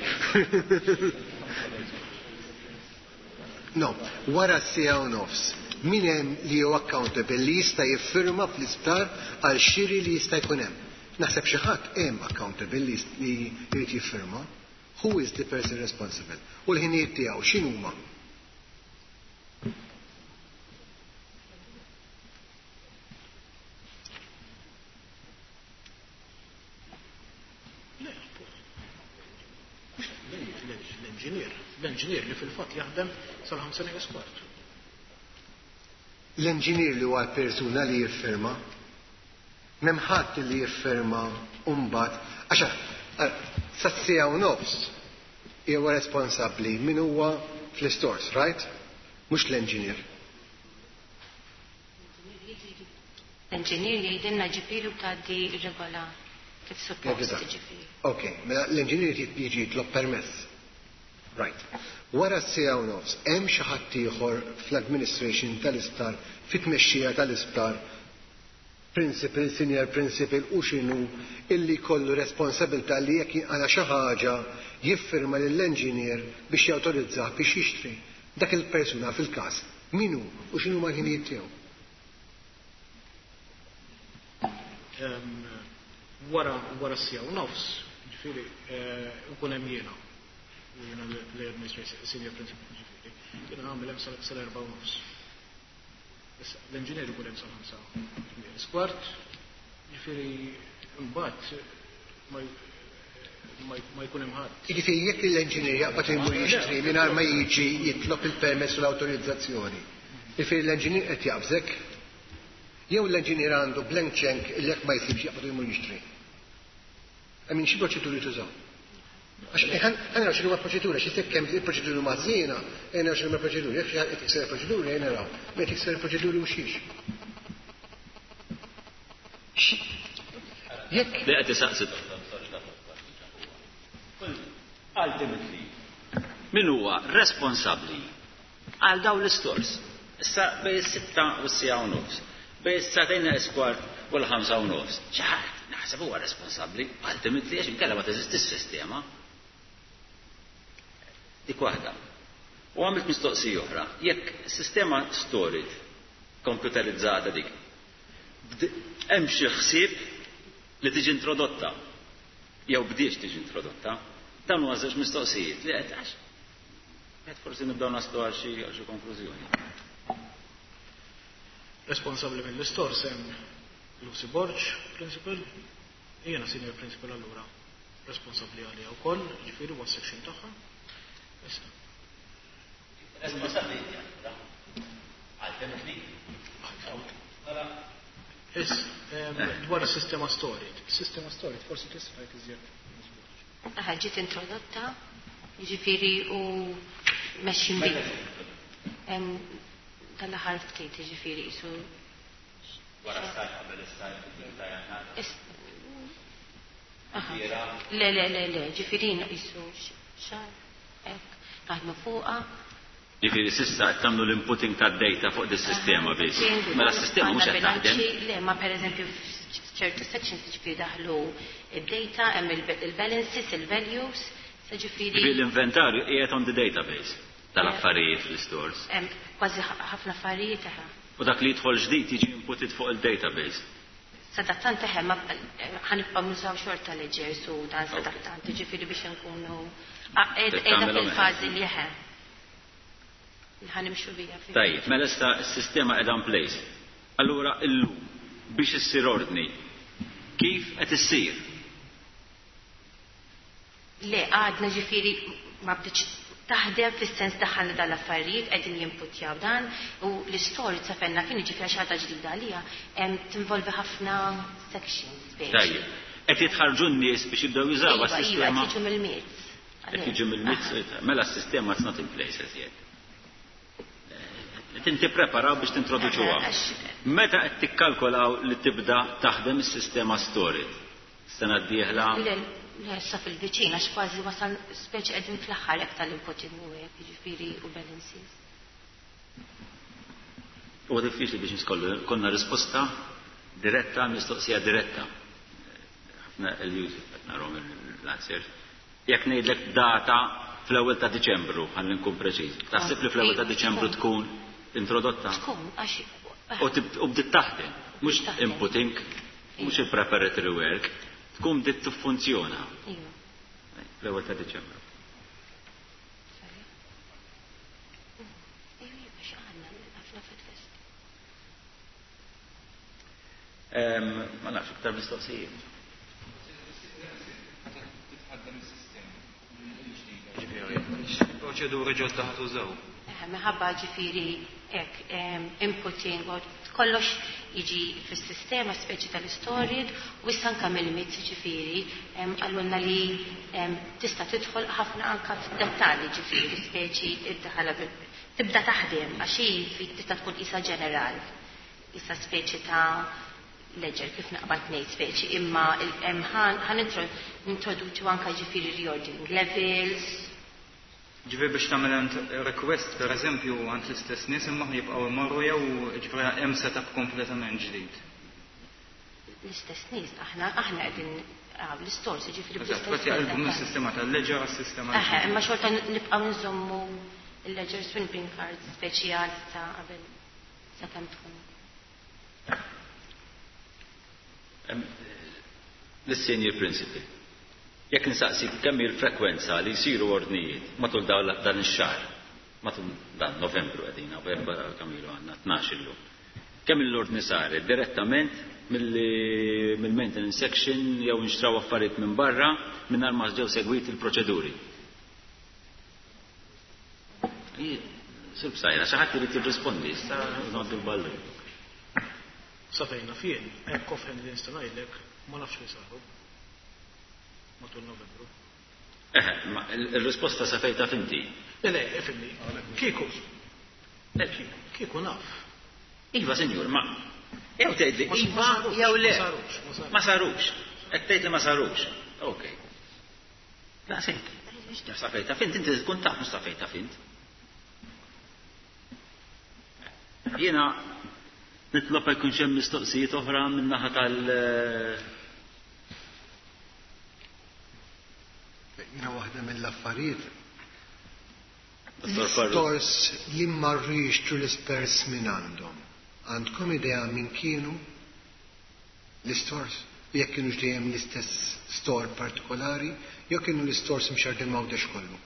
No, wara s-siegħa u nofs, min hemm li hu accountable li jista' jiffirma fl-isptar għal xiri li jista' jkun hemm? Naħseb xi ħadd hemm accountable li jrid jiffirma. Who is the person responsible? U l-ħinijiet tiegħu x'inhuma? L-enġinier, l-enġinier li fil-fatt jaħdem sal-ħamsa neqes kwart. L-enġinier li huwa l-persuna li jiffirma, m'hemm ħadd li jiffirma u mbagħad għax sas-siegħa u nofs huwa responsabbli min huwa fl-istores, right? Mhux l-engineer. L-engineer jgħidilna ġifieri u tgħaddi regola kif suppost ġifieri. Ok, mela l-engineer jiġi jitlob permess. Right. Wara s-siegħa u nofs, hemm xi ħadd ieħor fl-administration tal-isptar, fit-tmexxija tal-isptar, principal, senior principal u x'inhu illi jkollu responsabilità li jekk jinqala' xi ħaġa jiffirma lill-engineer biex jawtorizzah biex jixtri. Dak il-persuna fil-każ min hu u x'inhuma l-ħinijiet tiegħu? Wara wara s-siegħa u nofs, ġifieri nkun hemm jiena. Jiena l-administration senior principal ġifieri. Jiena nagħmel hemm sal-erba' u nofs. Issa, l-engineer ikun hemm sal-ħamsa nieqes kwart, jiġifieri mbagħad ma jkun hemm ħadd. Jiġifieri jekk l-engineer jaqbad imur jixtri mingħajr ma jiġi jitlob il-permess u l-awtorizzazzjoni, jiġifieri l-engineer qed jaqbżek? Jew l-engineer għandu blank check li jekk ma jsibx jaqbad imur jixtri? I mean, xi proċeduri tużaw? Għax ħa naraw x'inhuma l-proċeduri, għax jekk hemm il-proċeduri huma ħżiena, ejja naraw x'inhuma l-proċeduri, jekk xi ħadd qed jikser il-proċeduri, ejja naraw min qed jikser il-proċeduri u xiex. Jekk Li qed isaqsi Ultimately, min huwa responsabbli għal dawn l-istors? Issa bejn is-sitta u s-siegħa u nofs, bejn is-sagħtejn neqes kwart u l-ħamsa u nofs. Xi ħadd naħseb huwa responsabbli ultimately għax inkella ma teżistix sistema. Dik waħda. U għamilt mistoqsija oħra, jekk sistema storage komputerizzata dik, hemm xi ħsieb li tiġi introdotta jew bdiex tiġi introdotta, dawn huma żewġ mistoqsijiet li qed għax qed forsi nibdew naslu għal xi għal xi konklużjoni. Responsabbli mill-istors hemm Lucy Borg, principal, jiena senior principal allura responsabbli għaliha wkoll, ġifieri huwa section tagħha. Issa. Responsabbli inti allura. Ultimately. Is, dwar is-sistema storage. Sistema storage forsi tista' tgħid iżjed. Aha, ġiet introdotta, jiġifieri u mexxin bi. Tal-aħħar ftit, jiġifieri qisu. Wara s-sajf qabel is-sajf ta' jannar. Le, le, le, le, ġifieri qisu xahar hekk naħdmu fuqha. Jiġifieri s'issa qed tagħmlu l-inputting tad-data fuq dis-sistema biss. Mela s-sistema mhux qed taħdem. Le, ma pereżempju f'ċertu sections jiġifieri daħlu id-data, hemm il-balances, il-values, sa ġifieri. Ġifieri l-inventarju qiegħed on the database tal-affarijiet fl-istores. Hemm kważi ħafna affarijiet eħe. U dak li jidħol ġdid jiġi inputed fuq il-database. Sadattant eħe, ma ħanibqgħu nużaw xorta ledgers u dan sadattant, jiġifieri biex inkunu qiegħda fil-fażi li eħe. Ħanimxu bija. Tajjeb, mela issa s-sistema qiegħda in place. Allura illum biex issir ordni, kif qed issir? Le, għadna ġifieri ma bdietx taħdem fis-sens daħħalna dan l-affarijiet qegħdin jimputjaw dan u l-istorja sa fenna kien jiġifieri xi ħaġa ġdida għalija tinvolvi ħafna sections speċi. Tajjeb. Qed jitħarrġu n-nies biex jibdew jużawha s-sistema? Iva, qed jiġu mill-MITS. Qed jiġu mill-MITS, mela s-sistema it's not in place as yet. Qed inti preparaw biex tintroduċuha. Meta qed tikkalkolaw li tibda taħdem is-sistema storage? Sena d-dieħla? Le, le, issa fil-viċin għax kważi wasal speċi qegħdin fl-aħħar hekk tal-inputting u hekk, jiġifieri u balances. Huwa diffiċli biex niskollu konna risposta diretta, mistoqsija diretta. Ħafna l-Yusuf qed narhom l-answers. Jekk ngħidlek data fl-ewwel ta' Diċembru, ħalli nkun preċiż. Taħseb li fl-ewwel ta' Diċembru tkun introdotta? Tkun, għax U bdiet taħdem, mhux inputting, mhux il-preparatory work, tkun bdiet tiffunzjona. Iva. Fl-ewwel ta' Diċembru. Ma nafx iktar mistoqsijiet. Proċeduri ġodda ħa tużaw. Minħabba ġifieri hekk inputting u kollox jiġi fis-sistema speċi tal-istorjed u issa anke mill-MITS ġifieri qalulna li tista' tidħol ħafna anke f'dettalji ġifieri speċi iddaħħalha tibda taħdem għax hi tista' tkun qisha ġeneral, qisha speċi ta' ledger kif naqbad ngħid speċi, imma ħan nintroduċu anke ġifieri reordering levels. Ġifieri biex tagħmel int request pereżempju għand l-istess nies imma jibqgħu imorru jew ġifieri hemm setup kompletament ġdid. L-istess nies aħna aħna qegħdin l-istores ġifieri bl-istess. Eżatt, jaqilbu mis-sistema tal-ledger għas-sistema. Eħe, imma xorta nibqgħu nżommu il-ledger swing cards speċjali ta' qabel sakemm tkun. L-senior principal. Jekk insaqsik kemm hi l-frekwenza li jsiru ordnijiet matul dan ix-xahar, matul dan Novembru qegħdin hawn erba' kemm ilu għandna 12 illum. Kemm l-ordni saret direttament mill-maintenance section jew inxtraw affarijiet minn barra mingħajr ma ġew segwiti l-proċeduri. Sur Psajra, xi ħadd irid jirrispondi, issa ngħaddu l-ballun. Sa fejn naf jien, hekk offhand li nista' ngħidlek, ma nafx li saru matul Novembru. Eħe, ma il-risposta sa fejn taf inti. Le, le, ifhimni. Kieku. Le, kieku, kieku naf. Iva, sinjur, ma jew tgħidli iva jew le. Ma sarux, ma sarux. Ma sarux. Qed tgħid li ma sarux. Ok. Daqshekk. Sa fejn taf int, inti tkun taf mhux sa fejn taf int. Jiena nitlob jekk ikunx hemm mistoqsijiet oħra min-naħa tal- Jiena waħda mill-affarijiet. Dottor Farrugia. L-istors li marru jixtru l-ispers minn għandhom. Għandkom idea minn kienu l-istors? Jekk kienu dejjem l-istess store partikolari, jew kienu l-istors mxerdin m'Għawdex kollu?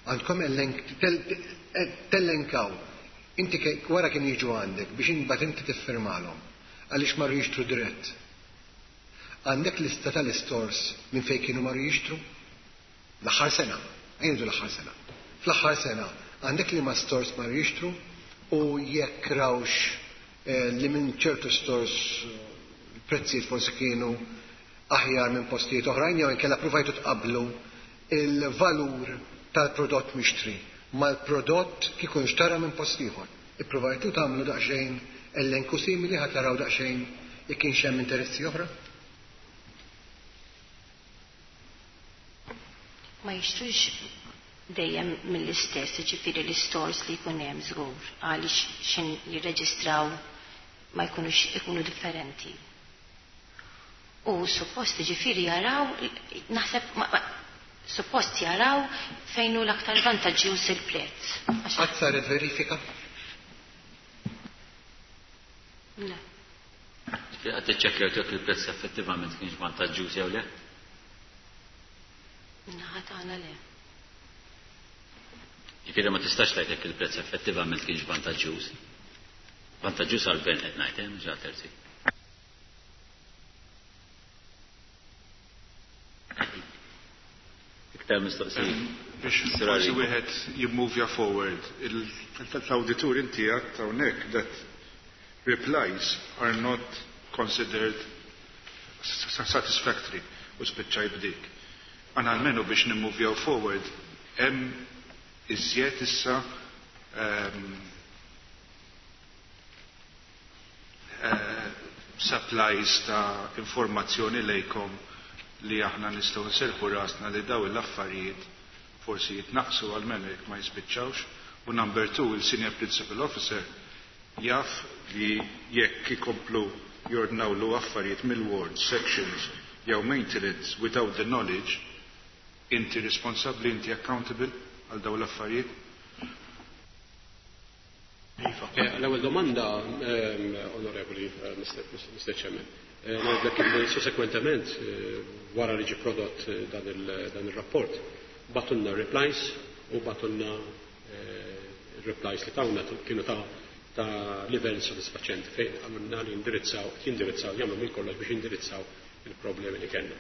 Għandkom tellenkaw. Inti wara kienu jiġu għandek biex imbagħad inti tiffirmalhom għaliex marru jixtru dirett. Għandek lista tal-istors minn fejn kienu marru jixtru? L-aħħar sena, ngħidu l-aħħar sena. Fl-aħħar sena għandek li ma stores marru jixtru u jekk rawx li minn ċertu stores prezzijiet forsi kienu aħjar minn postijiet oħrajn jew inkella provajtu tqablu il-valur tal-prodott mixtri mal-prodott kieku nxtara minn post ieħor. Ippruvajtu tagħmlu daqsxejn elenku simili ħa taraw daqsxejn jekk kienx hemm interessi oħra? Ma jixtrux Dejjem mill-istess, jiġifieri l-istores li jkun hemm żgur għaliex x'in jirreġistraw ma jkunux ikunu differenti. U suppost jiġifieri jaraw, naħseb suppost jaraw fejn hu l-aktar vantaġġjuż il-prezz. Qatt saret verifika? Le. Ġifieri qatt iċċekkjajtu jekk il-prezz effettivament kienx vantaġġjuż jew le? Min-naħa tagħna le. Ġifieri ma tistax tgħid jekk il-prezz effettivament kienx vantaġġjuż. Vantaġġjuż għall-gvern qed ngħid, eh, mhux għal terzi. Iktar mistoqsijiet. Biex forsi wieħed jimmuvja forward, l-awditur inti għedt hawnhekk that replies are not considered satisfactory u spiċċajt b'dik. Aħna almenu biex nimmuvjaw forward hemm iżjed issa ehm, eh, supplies ta' informazzjoni lejkom li aħna nistgħu nserħu rasna li daw l-affarijiet forsi jitnaqsu għalmenu jekk ma jispiċċawx. U number two, il-Senior Principal Officer jaf li jekk ikomplu jordnawlu affarijiet mill-ward, sections jew maintenance without the knowledge, inti responsabbli, inti accountable għal dawn l-affarijiet? Iva. Eh, l-ewwel domanda, ehm, onorevoli eh, Mr. Chairman, eh, ngħidlek li susekwentement wara li ġie prodott dan il-rapport, bagħtulna replies u bagħtulna replies li tawna kienu ta' ta' livell sodisfaċenti fejn għamilna li jindirizzaw, jindirizzaw, jagħmlu minn kollox biex jindirizzaw il-problemi li kellna.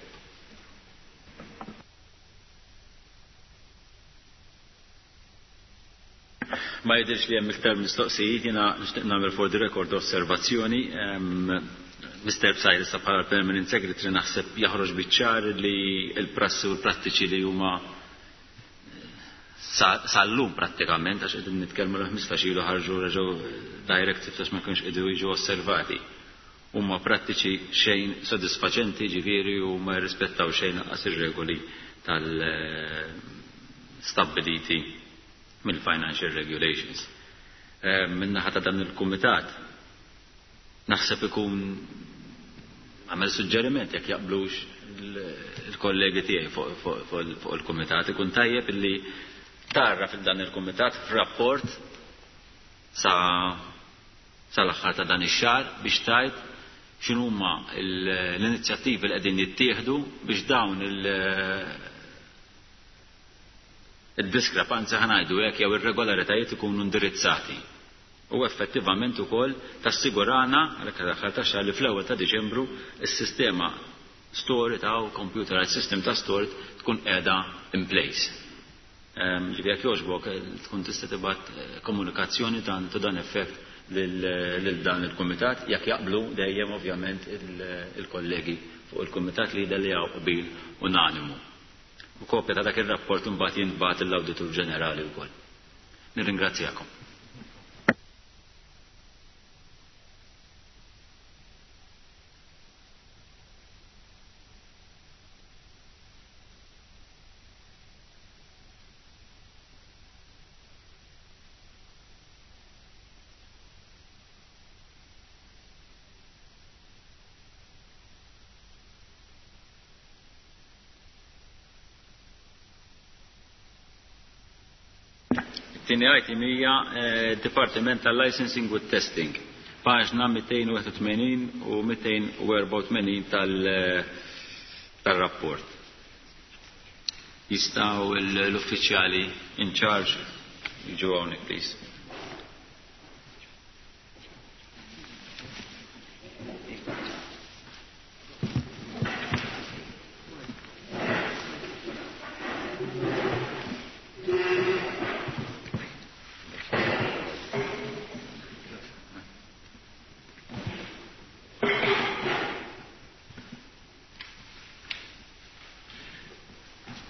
Ma jidhirx li hemm iktar mistoqsijiet, jiena nixtieq nagħmel for the record osservazzjoni. Mr. Psajr issa bħala Permanent Secretary naħseb jaħroġ biċ-ċar li l-prassi u l-prattiċi li huma sal-lum prattikament, għax qegħdin nitkellmu l-15 ilu ħarġu reġgħu directives għax ma kienx qegħdu jiġu osservati. Huma prattiċi xejn sodisfaċenti ġifieri u ma jirrispettaw xejn lanqas ir-regoli tal-stabbiliti mill-Financial Regulations. Eh, min-naħa ta' dan il-kumitat naħseb ikun għamel suġġeriment jekk jaqblux il-kollegi tiegħi fuq il-kumitat ikun tajjeb illi tarra fil-dan il-kumitat f'rapport sa sal-aħħar ta' dan ix-xahar biex tgħid x'inhuma l-inizjattivi li qegħdin jittieħdu biex dawn il-diskrepanzi ħa ngħidu hekk jew irregolaritajiet ikunu indirizzati. U effettivament ukoll tassigurana għalhekk l-aħħar tax-xahar li fl-ewwel ta' Diċembru s-sistema stored ta' computerized system ta' stored tkun qiegħda in place. Ġifieri jekk jogħġbok tkun tista' tibgħat komunikazzjoni ta' dan effett lil dan il-kumitat jekk jaqblu dejjem ovvjament il-kollegi fuq il-kumitat li jidher li hawn qbil unanimu. U kopja ta' dak ir-rapport imbagħad jintbagħat lill-Awditur Ġenerali wkoll. Nirringrazzjakom. It-tieni item hija eh, Dipartiment tal-Licensing u Testing. Paġna 281 u 284 tal- tal-rapport. Jistgħu l-uffiċjali in charge jiġu hawnhekk please.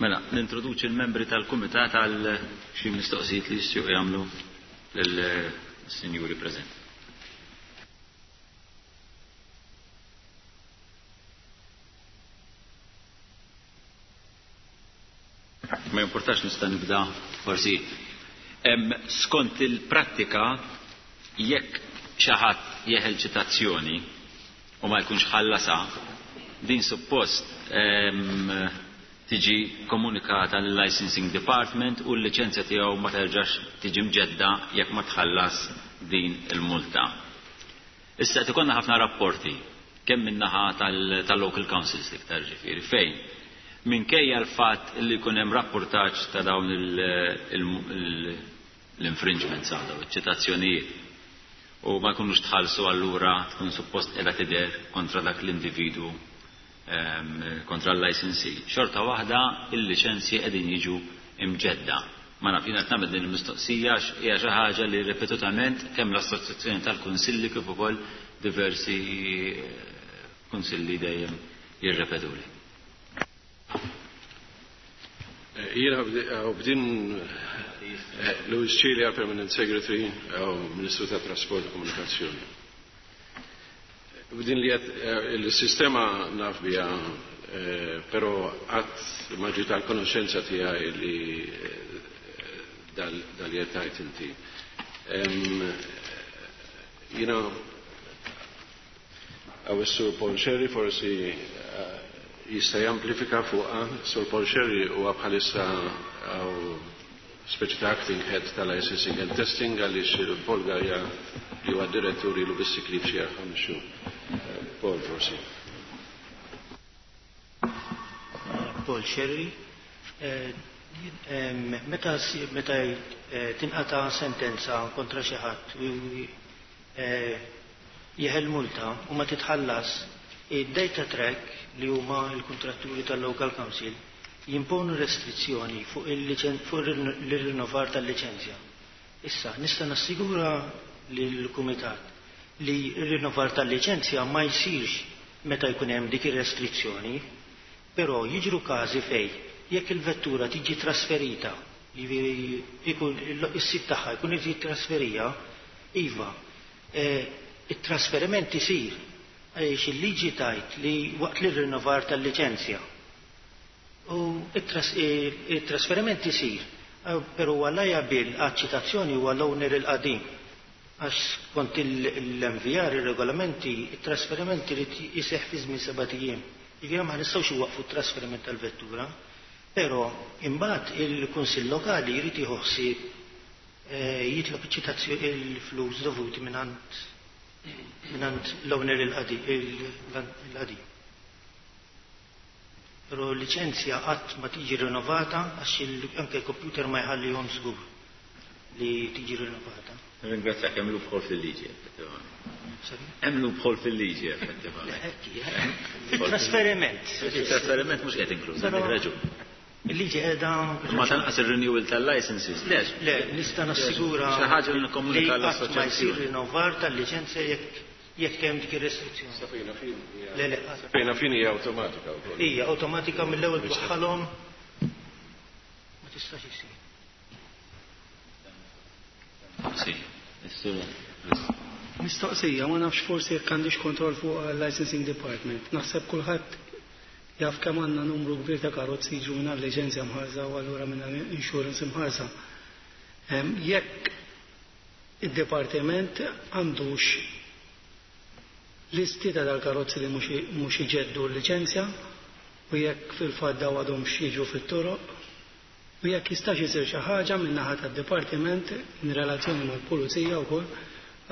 Mela, nintroduċi l-membri tal-Kumitat għal xi mistoqsijiet li jistgħu jagħmlu lill-sinjuri preżenti. Ma jimpurtax nista' nibda forsi. Skont il-prattika jekk xi ħadd jeħel ċitazzjoni u ma jkunx ħallasha, din suppost tiġi komunikata lill licensing department u l-liċenzja tiegħu ma terġax tiġi mġedda jekk ma tħallas din il-multa. Issa qed ikollna ħafna rapporti kemm min-naħa tal-local councils l-iktar ġifieri fejn minkejja l-fatt li jkun hemm rappurtaġġ ta' dawn l-infringements għadaw, iċ-ċitazzjonijiet u ma jkunux tħallsu allura tkun suppost qiegħda tidher kontra dak l-individwu kontra l-licensee. Xorta waħda il-liċenzji qegħdin jiġu imġedda. Ma naf jiena qed nagħmel din il-mistoqsija għax hija xi ħaġa li ripetutament kemm l-Assoċjazzjoni tal-Kunsilli kif ukoll diversi kunsilli dejjem jirrepetuli. Jiena bdin Louis Cilia, Permanent Secretary, Ministru ta' Trasport u Komunikazzjoni. Bdin li il-sistema naf bija, pero għat ma ġiet għal konoxenza tiegħi li dal-jetajt inti. Jiena għaw is-Sur Paul Sherry forsi jista' jamplifika fuqha. Sur Paul Sherry huwa bħalissa għaw speċi ta' acting head tal-licensing and testing għaliex Paul Gaja li huwa direttur ilu bis-sikli f'xi ħames xhur. Paul forsi. Paul Sherry. Meta meta tinqata' sentenza kontra xi ħadd u jeħel multa u ma titħallas, id-data track li huma l-kuntratturi tal-local council jimponu restrizzjoni fuq l-rinnovar tal-liċenzja. Issa, nista' nassigura lill-Kumitat li r-rinnovar tal-liċenzja ma jsirx meta jkun hemm dik ir-restrizzjoni, però jiġru każi fej jekk il-vettura tiġi trasferita, jiġifieri jkun is-sid tagħha jkun irid jittrasferija, iva, it-trasferiment isir għaliex il-liġi tajt li waqt li rinnovar tal-liċenzja. U it-trasferiment isir, però huwa liable għaċ-ċitazzjoni huwa l-owner il-qadim. Għax skont l-MVR, ir-regolamenti, it-trasferiment irid iseħħ fi żmien 7 ijiem. Jiġifieri ma nistgħux iwaqfu t-trasferiment tal-vettura, però imbagħad il-Kunsill Lokali jrid jieħu ħsieb jitlob iċ-ċitazzjoni il-flus dovuti mingħand l-owner il-qadim. Però l-liċenzja qatt ma tiġi rinnovata għax anke l-computer ma jħallihom żgur li tiġi rinnovata. Ringrazzjak, hemm loophole fil-liġi, effettivament. Hemm loophole fil-liġi, effettivament. Il-trasferiment. Il-trasferiment mhux qed inkluż, għandek raġun. Il-liġi qiegħda Ma tanqas ir-renewal tal-licenses. Le, le, nista' nassigura Xi ħaġa li nikkomunika li qatt ma jsir l-assoċjazzjoni. rinnovar tal-liċenzja jekk hemm dik ir-restrizzjoni. Safina fin hija. Le, le, qatt. Safina fin hija awtomatika wkoll. Hija awtomatika mill-ewwel twaħħalhom ma tistax isir. Sì, is-sur. Mistoqsija, ma nafx forsi jekk għandix kontroll fuq licensing department. Naħseb kulħadd jaf kemm għandna numru kbir ta' karozzi jiġu mingħajr liċenzja mħarsa u allura mingħajr insurance imħarsa. Jekk id-dipartiment għandux listi ta' dal-karozzi li mhux iġeddu l-liċenzja u jekk fil-fatt daw għadhom jiġu fit-toroq u jekk jistax isir xi ħaġa min-naħa tad-dipartiment in relazzjoni mal-pulizija wkoll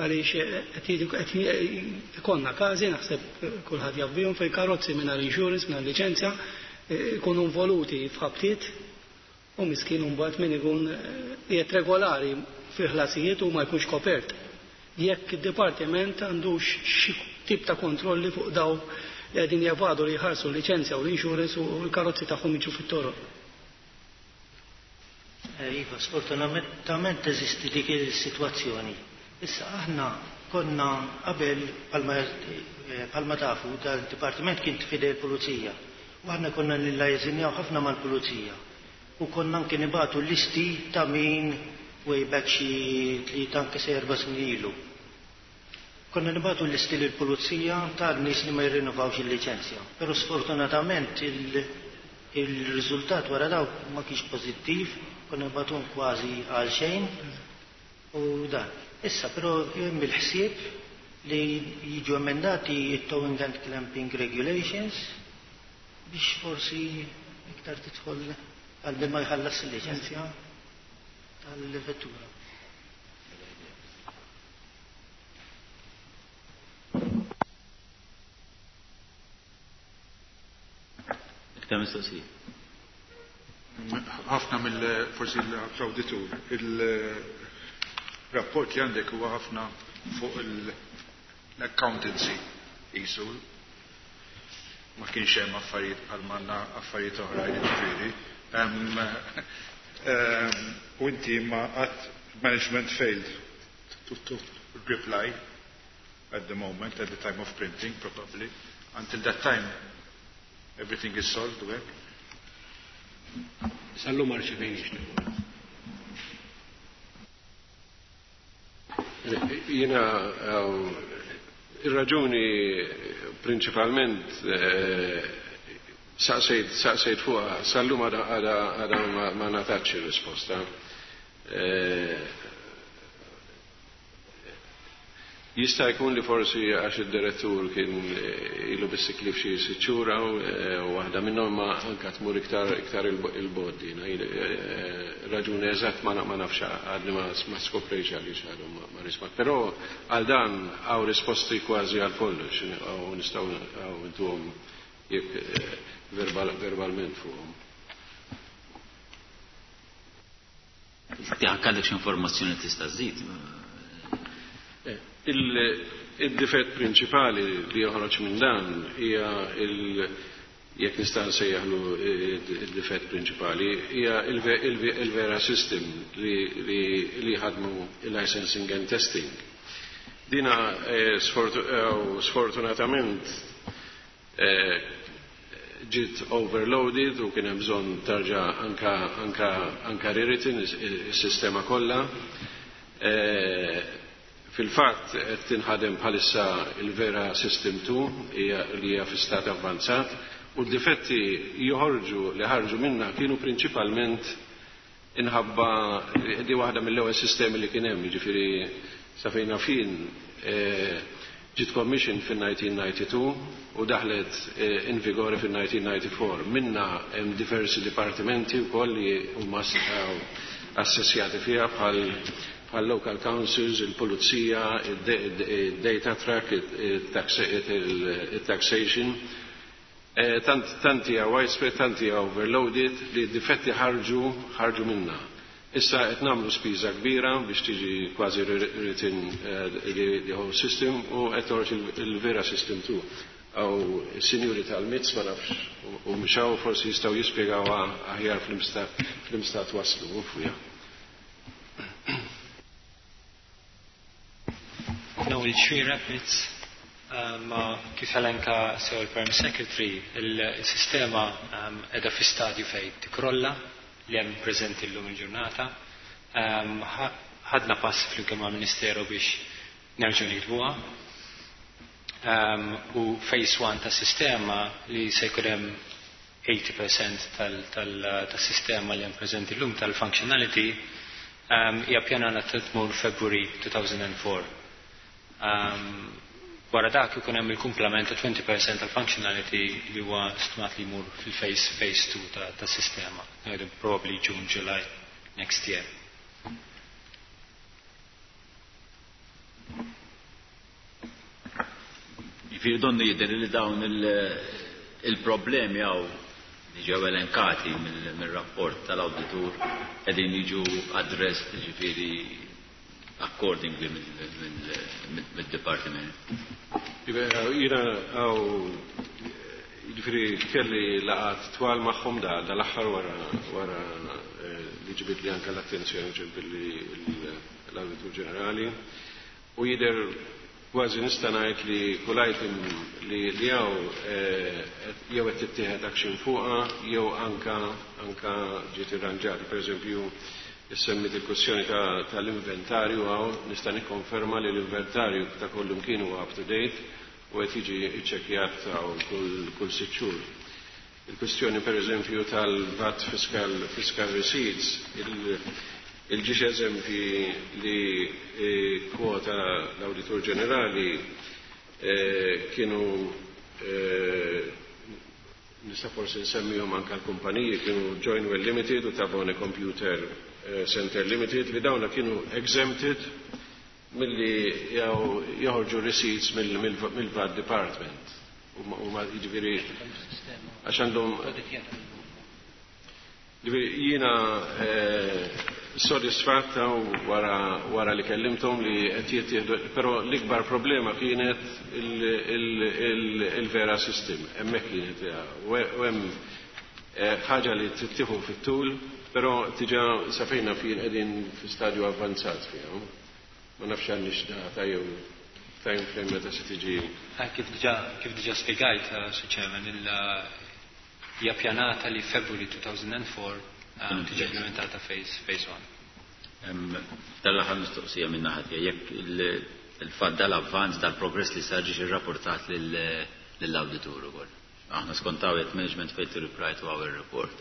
għaliex qed ikollna każi naħseb kulħadd jaf bihom fejn karozzi mingħajr insurance, mingħajr liċenzja ikunu involuti f'ħabtiet u miskin mbagħad min ikun qiegħed regolari fil-ħlasijiet u ma jkunx kopert. Jekk id-dipartiment għandux xi tip ta' kontrolli fuq daw li qegħdin jevadu li jħarsu l-liċenzja u l-insurance u l-karozzi tagħhom jiġu fit-toroq. Iva, sfortunatament teżisti dik is-sitwazzjoni. Issa aħna konna qabel bħalma tafu dal-dipartiment kien fidej il-pulizija. U aħna konna nillajżinjaw ħafna mal-pulizija. U konna anke nibatu listi ta' min way back xi 3 anke se 4 snin ilu. Konna nibatu listi lill-pulizija ta' nies li ma jirrinnovawx il-liċenzja. Però sfortunatament Il-riżultat wara dawk ma kienx pożittiv, konna nibagħtuhom kważi għal xejn u dan. Issa però hemm il-ħsieb li jiġu emendati it-towing and clamping regulations biex forsi iktar tidħol għal min ma jħallas il-liċenzja tal-vettura. Iktar mistoqsijiet. Ħafna mill forsi l-awditur, il-rapport li għandek huwa ħafna fuq l-accountancy qisu ma kienx hemm affarijiet bħal manna affarijiet oħrajn ġifieri. U inti ma qatt management failed to reply at the moment, at the time of printing probably. Until that time everything is solved, u hekk. Sal-lum ma rċevejniex. Jiena ir-raġuni prinċipalment saqsejt saqsejt fuqha sal-lum għadha għadha ma ngħatatx ir-risposta. Jista' jkun li forsi għax id-direttur kien ilu biss iklif xi sitt xhur hawn u waħda minnhom ma anke tmur iktar iktar il-bogħod din. Raġuni eżatt ma nafx għadni ma skoprejx għaliex għadhom ma rismat. Però għal dan hawn risposti kważi għal kollox u nistgħu intuhom jekk verbalment fuqhom. Jekk għandek xi informazzjoni tista' żżid. Il-difett prinċipali li joħroġ minn dan hija jekk nista' nsejjaħlu il-difett prinċipali hija il-vera system li ħadmu il-licensing and testing. Dina sfortunatament ġiet overloaded u kien hemm bżonn tarġa' anka anka anka rewritten is-sistema kollha. Fil-fatt qed tinħadem bħalissa il-Vera System 2 hija li hija fi stat avvanzat u d-difetti joħorġu li ħarġu minna kienu prinċipalment inħabba di waħda mill-ewwel sistemi li kien hemm, jiġifieri sa fejn fin ġiet commission fin-1992 u daħlet in vigore fin-1994. Minna hemm diversi dipartimenti wkoll li huma assessjati fiha bħal bħal local councils, il-pulizija, il-data track, il-taxation. Tant tanti hija widespread, tanti hija overloaded li d-difetti ħarġu ħarġu minna. Issa qed nagħmlu spiża kbira biex tiġi kważi written the whole system u qed toħroġ il-Vera System 2. Aw sinjuri tal-MITS ma nafx u mxaw forsi jistgħu jispjegaw aħjar fl-imstat waslu fuqha. Noel Tree Rapids, ma kif elenka sew il-Perm Secretary, il-sistema edha fi stadju fej tikrolla li hemm preżenti llum il-ġurnata. Ħadna pass flimkien mal-Ministeru biex nerġgħu nikdbuha. U phase 1 ta' sistema li se jkun hemm 80% tas-sistema li hemm preżenti llum tal-functionality hija pjanata tmur February 2004. Wara dak ikun hemm il-kumplament ta' 20% tal-functionality li huwa stmat li jmur fil-phase phase 2 tas-sistema. Ngħidu probably June, July next year. Jiġifieri donnu jidher li dawn il-problemi hawn li ġew elenkati mill-rapport tal-awditur qegħdin jiġu addressed jiġifieri accordingly mid-dipartiment. Jiena għaw jiġifieri kelli laqgħat twal magħhom da dal-aħħar wara wara li ġibit li anke l-attenzjoni ġibilli l-Awditur Ġenerali u jidher kważi nista' ngħid li kull item li hawn jew qed tittieħed action fuqha jew anka anka ġiet irranġata. Pereżempju, issemmit il-kwestjoni tal-inventarju hawn nista' nikkonferma li l-inventarju ta' kull imkien huwa up to date u qed jiġi ċċekkjat hawn kull sitt xhur. Il-kwistjoni per eżempju tal-VAT fiscal, fiscal receipts, il-ġiex eżempji li eh, kwota l-Awditur Ġenerali eh, kienu eh, nista' forsi nsemmihom anke l-kumpaniji kienu Joinwell Limited u Tabone Computer Center Limited li dawna kienu exempted milli joħorġu receipts mill-VAT Department. U ma jiġifieri għax għandhom Ġifieri jiena eh, sodisfatta wara, wara li kellimthom li qed jittieħdu, però l-ikbar problema kienet il-vera system, hemmhekk kienet u hemm eh, ħaġa li tittieħu fit-tul, però tiġa safejna fin qegħdin fi stadju avvanzat fiha. Ma nafx għandix data jew time frame meta se tiġi. Eh, kif diġà kif diġà spjegajt, eh, Sir Chairman, il hija pjanata li February 2004 tiġi implementata phase phase 1. Dal-aħħar mistoqsija minn naħa tiegħi jekk il-fatt dal-avvanz dal-progress li sar ġiex irrapportat lill-awditur ukoll. Aħna skontaw jekk management failed to reply to our report.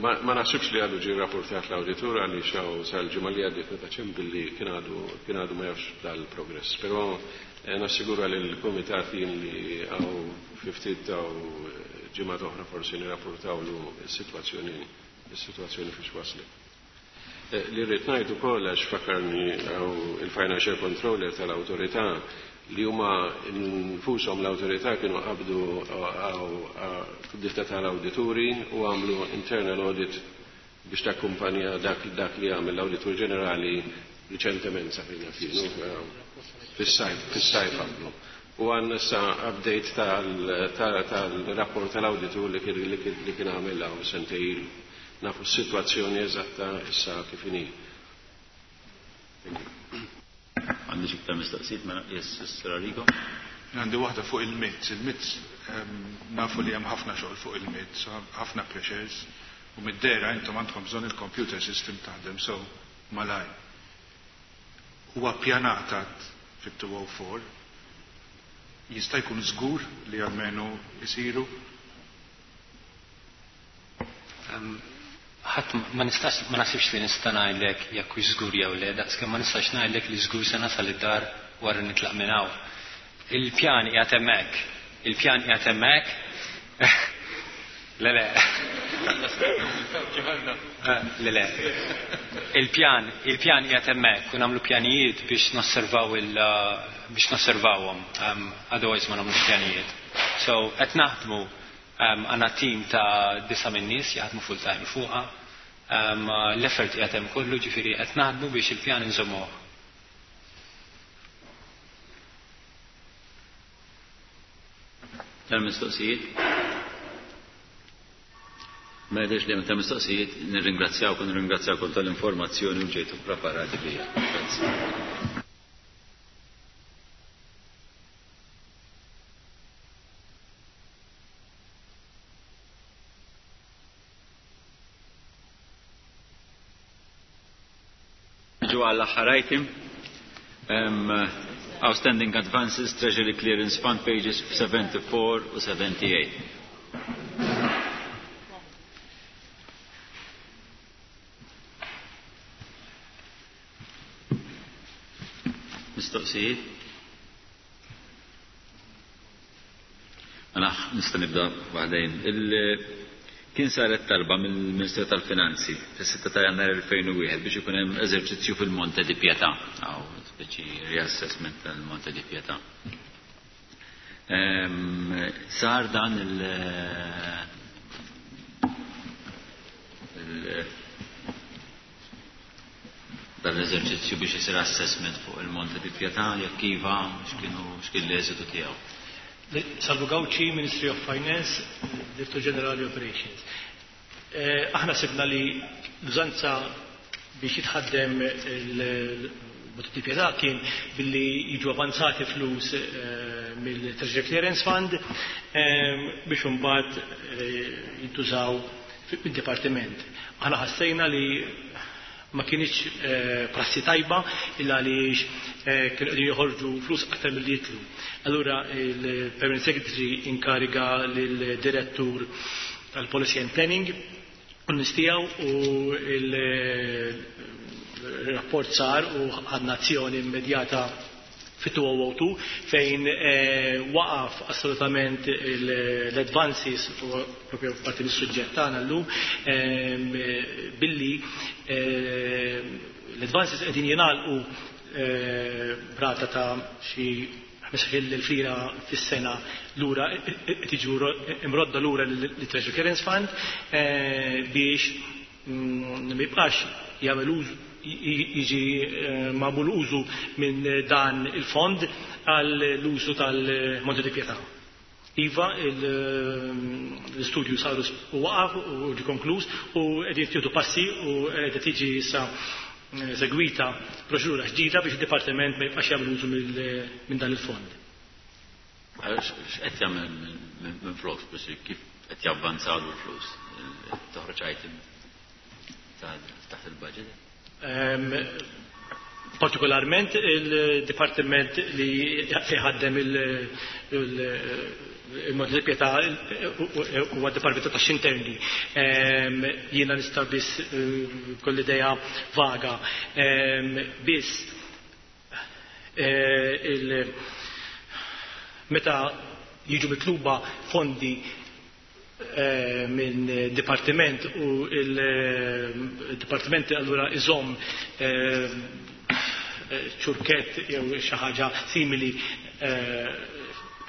Ma ma naħsibx li għadu ġie rapportat l-awditur għaliex hawn sal-ġimgħa li għaddiet meta ċempilli kien għadu ma jafx dal-progress. Però eh, nassigura li l-kumitat jien li hawn fi ftit taw ġimgħa oħra forsi nirrapportawlu s-sitwazzjoni is-sitwazzjoni fiex waslet. Eh, li rrid ngħid ukoll għax fakkarni hawn il-financial controller tal-awtorità li huma nfushom l-awtorità kienu qabdu ditta tal-awdituri u għamlu internal audit biex takkumpanja dak, dak li għamel l-awditur ġenerali riċentement sa fejna finu fis-sajf fis-sajf għamlu. U għandna issa update tal-rapport tal-awditur li kien li kien għamel hawn sentejn ilu. Nafu s-sitwazzjoni eżatta issa kif inhi. Għandi xi iktar mistoqsijiet mela yes, Sir Arrigo. Għandi waħda fuq il-MITS. Il-MITS nafu li hemm ħafna xogħol fuq il-MITS, ħafna pressures, u mid-dera intom għandkom bżonn il-computer system taħdem so malaj. Huwa ppjanata fit-204 jista' jkun żgur li almenu jsiru Ħadd ma nistax ma nasibx li nista' ngħidlek jekk hux żgur jew le, daqskemm ma nistax ngħidlek li żgur se nasal id-dar wara nitlaq minn hawn. Il-pjan qiegħed hemmhekk. Il-pjan qiegħed hemmhekk. Le le. Eh, Le le. Il-pjan, il-pjan qiegħed hemmhekk u nagħmlu pjanijiet biex nosservaw il biex nosservawhom, otherwise ma nagħmlux pjanijiet. So qed naħdmu għandna team ta' disa' minn nies jaħdmu full time fuqha. L-effort qiegħed hemm kollu ġifieri qed naħdmu biex il-pjan inżommuh. Tal-mistoqsijiet? Ma jidhirx li hemm ta' mistoqsijiet, nirringrazzjawkom, nirringrazzjawkom tal-informazzjoni u ġejtu preparati biha. Grazzi. Ġu għall-aħħar item. Outstanding Advances, Treasury Clearance Fund, pages 74 u 78. Mistoqsijiet? Mela, nista' nibda waħdejn. Kien saret talba mill-Ministeru tal-Finanzi fis-6 ta' Jannar 2001 biex ikun hemm eżerċizzju fil-Monte di Pietà, aw speċi reassessment tal-Monte di Pietà. Sar dan il, il dan l-eżerċizzju biex isir assessment fuq il-Monte di Pietà, jekk iva, x'kienu x'kien l-eżitu tiegħu. Salvu Gauci, Ministry of Finance, Direttur Ġenerali Operations. Aħna sibna li l-użanza biex jitħaddem il-Monte di Pietà kien billi jiġu avanzati flus mill-Treasury Clearance Fund biex imbagħad jintużaw fid-dipartiment. Aħna ħassejna li Ma kinitx prassi tajba illa għaliex kienu qegħdin joħorġu flus aktar milli jidħlu. Allura il-Permanent Secretary inkariga lill-Direttur tal-Policy and Planning u n-nies tiegħu u il-rapport sar u ħadna azzjoni immedjata fit-2002 fejn waqaf assolutament l-advances u propju parti mis-suġġett tagħna llum billi l-advances qegħdin jingħalqu b'rata ta' xi 15,000 lira fis-sena lura qed jiġu imrodda lura lit-Treasury Clearance Fund biex ma jibqax jagħmel użu jiġi magħmul użu minn dan il-fond għall-użu tal-Monte di Pietà. Iva, l-istudju saru u waqaf u ġie konkluż u qed jittieħdu passi u qed tiġi issa segwita proċedura ġdida biex id-dipartiment ma jibqax jagħmel użu minn dan il-fond. X'qed jagħmel minn flok biex kif qed javvanzaw l-flus? Toħroġ item taħt il-budget? Partikolarment il-dipartiment li ħaddem il-Monte di Pietà huwa d-Dipartiment tax Interni. Jiena nista' biss koll idea vaga. Biss meta jiġu mitluba fondi minn dipartiment u il-dipartiment allura iżomm ċurkett jew xi ħaġa simili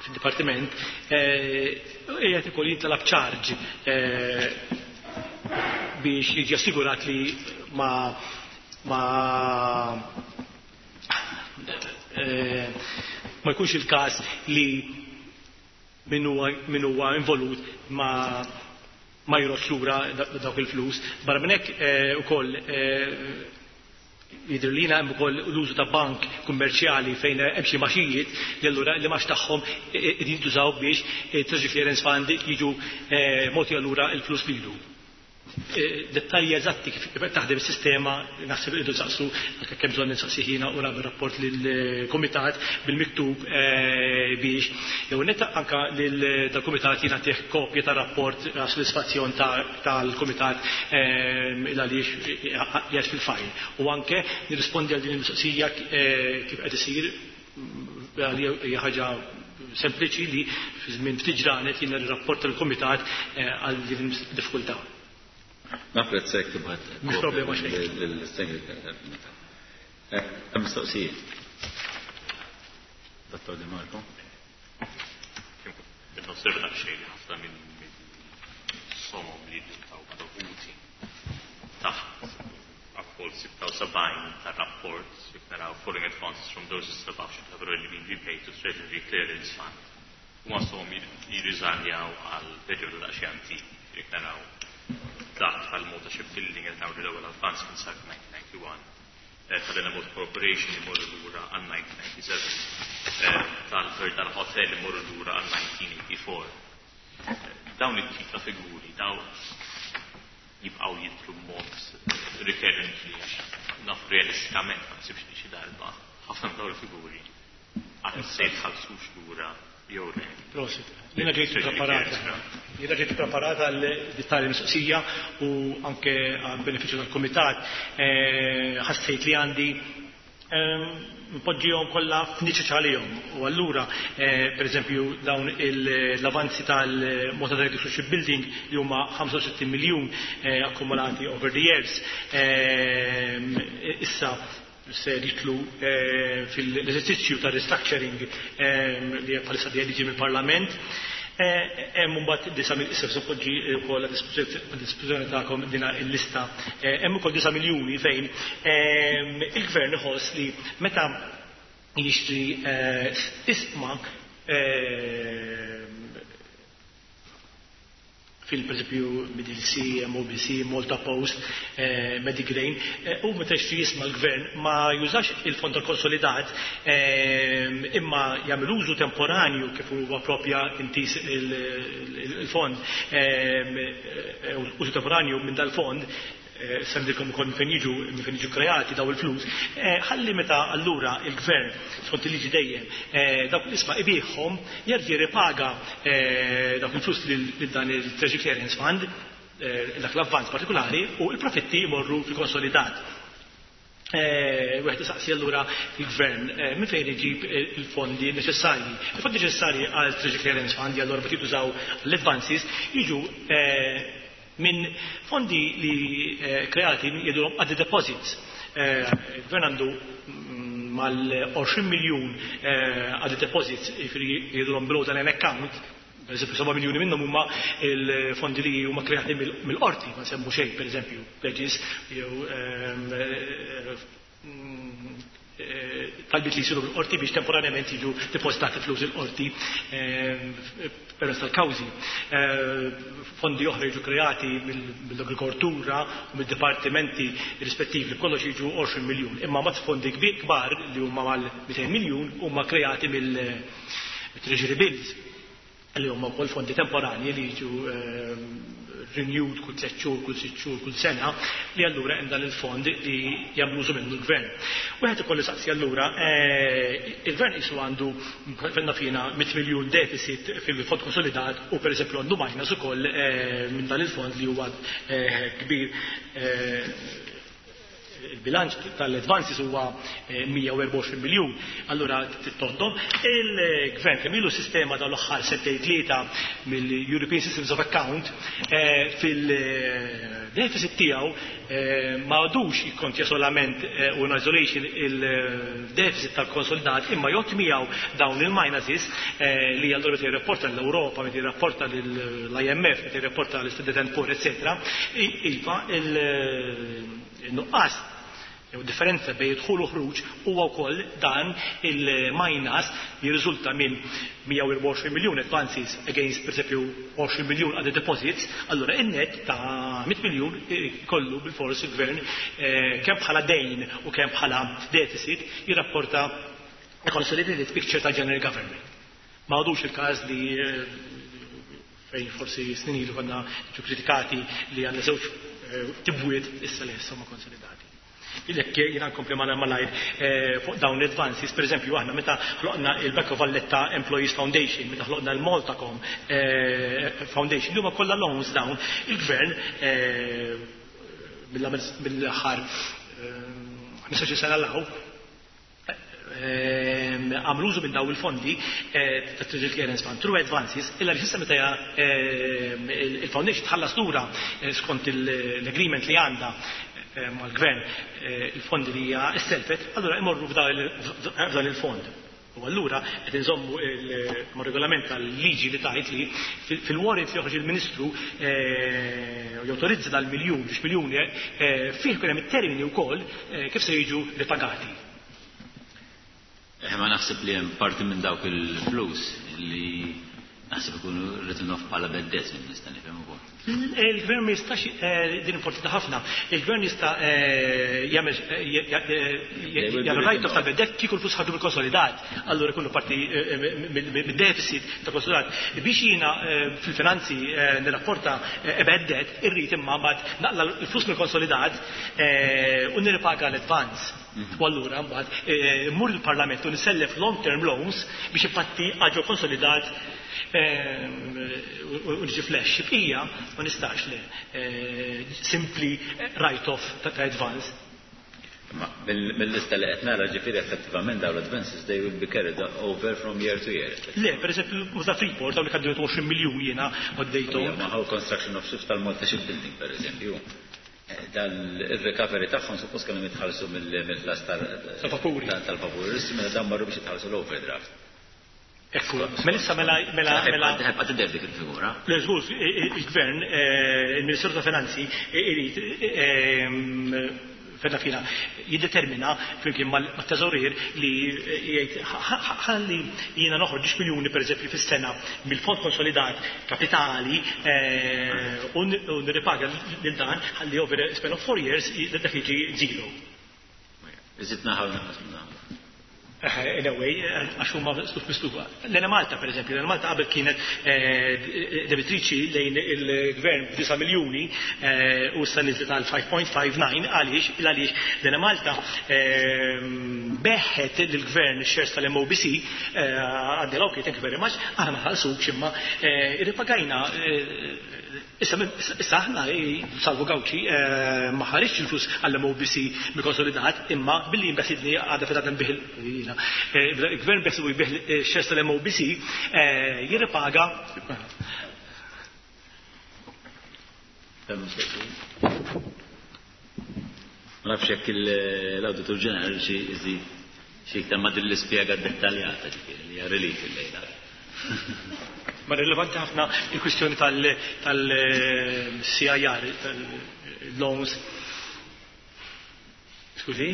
fid-dipartiment, qiegħed ukoll jintalab charge biex jiġi assigurat li ma jkunx il-każ li min huwa involut ma jroddx lura dawk il-flus. Barra minn hekk ukoll jidher lina hemm ukoll l-użu ta' bank kummerċjali fejn hemm xi maxijiet li allura li max tagħhom qegħdin jintużaw biex Treasury Clearance Fund jiġu mogħti allura l-flus lilu. Dettalji eżatti kif taħdem is-sistema naħseb irridu nsaqsu anke kemm bżonn nistaqsi ħina u nagħmel rapport lill-kumitat bil-miktub biex jew netta anka lil dal-kumitat jingħatih kopja tar-rapport għas sodisfazzjon tal-kumitat il għaliex qiegħed fil-fajl. U anke nirrispondi għal din il-mistoqsija kif qed isir hija ħaġa sempliċi li fi żmien ftit ġranet jiena nirrapport tal-kumitat għal din id-diffikultà. Napprezzek tibgħat. Mhux problema xejn. Mistoqsijiet. Dottor Di Marco. Nosserva daqsxejn li ħafna minn somom li taw dovuti taħt appol 76 tar-rapport jekk naraw following advances from those above should have already been repaid to Treasury Clearance Fund. Huma somom jirriżaljaw għal perjodu daqsxejn antik jekk naraw dak tal-Malta Shipbuilding qed naraw li l-ewwel advance kien sar 1991. Tal-Enemalta Corporation imorru lura għal 1997. Tal-Verdal Hotel imorru lura għal 1984. Dawn it-tip ta' figuri, daw jibqgħu jidhru b'mod recurrently għax naf realistikament ma nsibx li xi darba ħafna minn dawn il-figuri għal se jitħallsux lura jew le. Prosit. Jiena ġejt preparata. Jiena ġejt preparata għal tali mistoqsija u anke għal benefiċċju tal-kumitat ħassejt li għandi npoġġihom kollha f'niċeċ għalihom. U allura, per eżempju, dawn l-avanzi tal-Malta Director Shipbuilding li huma 65 miljun akkumulati over the years, issa se jitlu fil-eżerċizzju ta' restructuring li bħalissa dejjem jiġi mill-Parlament. Hemm imbagħad disa' issa se poġġi wkoll għad dispożizzjoni tagħkom dina l-lista. Hemm ukoll 9 miljuni fejn il-gvern iħoss li meta jixtri isma fil per eżempju MDC, MOBC, Malta Post, Medigrain, u meta jixtri jisma l-gvern ma jużax il-fond tal-konsolidat imma jagħmel użu temporanju kif huwa propja intis il-fond, użu temporanju minn dal-fond. Semmilkom ukoll minn fejn jiġu minn fejn jiġu kreati daw il-flus, ħalli meta allura il-gvern skont il-liġi dejjem dawk l-isma ibiħhom jerġa' jirripaga dawk il-flus lil dan il-Treasury Clearance Fund, dak l-avvanz partikolari, u l-profitti jmorru fil-konsolidat. Wieħed isaqsi allura il-gvern minn fejn iġib il-fondi neċessarji. Il-fondi neċessarji għal Treasury Clearance Fund, allura meta jintużaw l-advances, jiġu minn fondi li kreati jgħidulhom other deposits. Il-gvern għandu mal-20 miljun other deposits, jiġifieri jgħidulhom below the line account. Per eżempju, 7 miljuni minnhom huma il-fondi li huma kreati mill-qorti, ma nsemmu xejn, per eżempju, pledges jew talbiet li jsiru mill-qorti biex temporanjament jiġu depositati flus il-qorti permezz tal-kawżi. Fondi oħra jiġu kreati mill-agrikoltura u mid-dipartimenti rispettivi, kollox jiġu 20 miljun. Imma mat fondi kbar li huma mal-200 miljun huma kreati mill-Treasury Bills, li huma wkoll fondi temporani li jiġu renewed kull 3 xhur, kull 6 xhur, kull sena, li allura hemm dan il-fond li jagħmlu użu minnu l-gvern. Wieħed ikollu saqsi allura, il-gvern qisu għandu fenna fina 100 miljun deficit fil-fond konsolidat u per eżempju għandu minus ukoll minn dan il-fond li huwa kbir. Il-bilanċ tal-advances huwa 124 miljun. Allura tittoddom il-gvern kemm ilu sistema dal-aħħar sentejn tlieta mill-European Systems of Account fil-deficit tiegħu ma għadux jikkontja solament u in isolation il-deficit tal-konsolidat, imma jgħod miegħu dawn il-minuses li allura meta jirrapporta l-Ewropa, meta jirrapporta l-IMF, meta jirrapporta l-Standard and Poor, eccetera, iva il-nuqqas jew differenza bejn dħul u ħruġ huwa wkoll dan il-minus li jirriżulta minn 124 miljun advances against per esempio 20 miljun other deposits, allura in-net ta' 100 miljun kollu bil-fors il-gvern kemm bħala dejn u kemm bħala deficit jirrapporta consolidated picture ta' general government. Ma għadux il-każ li fejn forsi snin ilu konna ġu kritikati li għandna żewġ tibwiet, issa li issa ma konsolidati. Jekk jiena nkompli malajr fuq dawn l-advances, per eżempju aħna meta ħloqna il-Bank of Valletta Employees Foundation, meta ħloqna l-Maltacom Foundation, li huma kollha loans dawn, il-gvern mill-aħħar 15 sena law għamlu użu minn daw il-fondi ta' Treasury Clearance Fund through advances, illa li s'issa meta il-foundation tħallas lura skont l-agreement li għandha mal-gvern il-fondi li hija s-selfet, allura imorru f'dan il-fond. U allura qed inżommu mar-regolament tal-liġi li tajt li fil-warrant li joħroġ il-Ministru jawtorizza dal-miljun, biex miljuni fih kien hemm it-termini wkoll kif se jiġu ripagati. Ma naħseb li hemm parti minn dawk il-flus li naħseb ikunu written off bħala bad debts, minn nista' nifhem ukoll. Il-gvern ma jistax, din importanti ħafna, il-gvern jista' jagħmel write off tal-bad debt kieku l-flus ħarġu mill-konsolidat, allura ikunu parti mid-deficit ta' konsolidat. Biex jiena fil-finanzi nirrapporta bad debt, irrid imma mbagħad naqla l-flus mill-konsolidat u nirripaga l-advance. U allura mbagħad mmur il-Parlament u nisellef long term loans biex infatti għaġu konsolidat u niġi flash. Bqija ma nistax le simply write off ta' advance. Ma mill-lista li qed nara, ġifieri effettivament dawn l-advances, they will be carried over from year to year. Le, per eżempju, ta' Freeport, dawn li kaddu 20 miljun jiena għaddejthom. Ma how construction of ships tal-Malta Shipbuilding, per eżempju. Dan il-recovery tagħhom suppost kellhom jitħallsu mill-ħlas tal-vapuri. Tal-vapuri. Issa mela dan marru biex jitħallsu l-overdraft. Ekku, mela issa mela. Ħebqa tidher dik il-figura. Le, żgur, il-gvern, il-Ministeru ta' Finanzi irid fedna fina jiddetermina flimkien mat-teżorier li jgħid ħalli jiena noħroġ 10 miljuni per eżempju fis-sena mill-fond konsolidat kapitali u nirripaga lil dan ħalli over a span of 4 years dak jiġi zero. Iżid naħaw naqas minn naħa. In a way, għax huma sluf mislufa. L-Enemalta, per eżempju, l-Enemalta qabel kienet debitriċi lejn il-gvern b'9 miljuni u issa niżlet għal 5.59. Għaliex? Għaliex l-Enemalta begħet lill-gvern shares tal-MOBC, għaddela, okay, thank you very much, aħna ma ħallsukx imma irripagajna. Issa aħna, Salvu Gauci, ma ħariġx il-flus għall-MOBC mill-konsolidat, imma billi jinbesidni għadha fil għadha nbih jiena. Il-gvern beħsibu jbigħ shares tal-MOBC jirripaga. Ma nafx jekk l-Awditur Ġenerali xi iżid xi iktar ma' din l-ispjega dettaljata, ġifieri li hija relief illejla. Ma rilevanti ħafna il-kwistjoni tal-CIR, tal-loans. Skużi?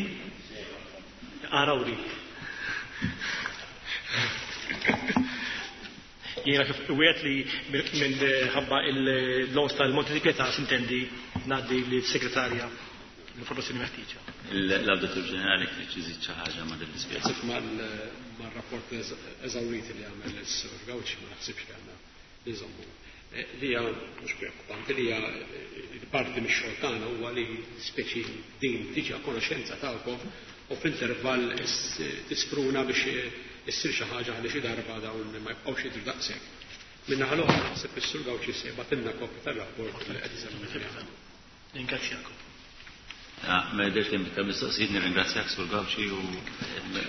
Arawri. Jiena kif wieħed li minħabba il-loans tal-Monte di Pietà sintendi ngħaddi lis-segretarja l-informazzjoni meħtieġa. L-Awditur Ġenerali jekk trid iżid xi ħaġa ma' din l-ispjega. Naħseb mar-rapport eżawrit li għamel is-Sur Gauci ma naħsibx li għandna nżommu. Li hija mhux preokkupanti, li hija parti mix-xogħol tagħna huwa li speċi din tiġi a konoxenza tagħkom u fl-intervall tispruna biex issir xi ħaġa ħalli xi darba dawn ma jibqgħux jidhru daqshekk. Min-naħa l-oħra naħseb is-Sur Gauci se jibgħatilna kopja tar-rapport li qed isemmi. Ringrazzjakom. Ma jidhirx li hemm iktar mistoqsijiet, nirringrazzjak Sur Gauci u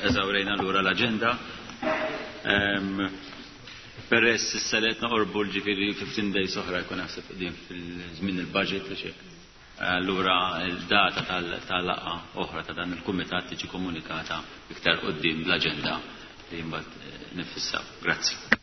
eżawrejna lura l-aġenda. Peress issa li qed noqorbu l-ġifieri 15 days oħra jkun naħseb qegħdin fil-żmien il-budget u xi. Allura l-data tal-laqgħa oħra ta' dan il-kumitat tiġi komunikata iktar quddiem bl-aġenda li mbagħad nifissaw. Grazzi.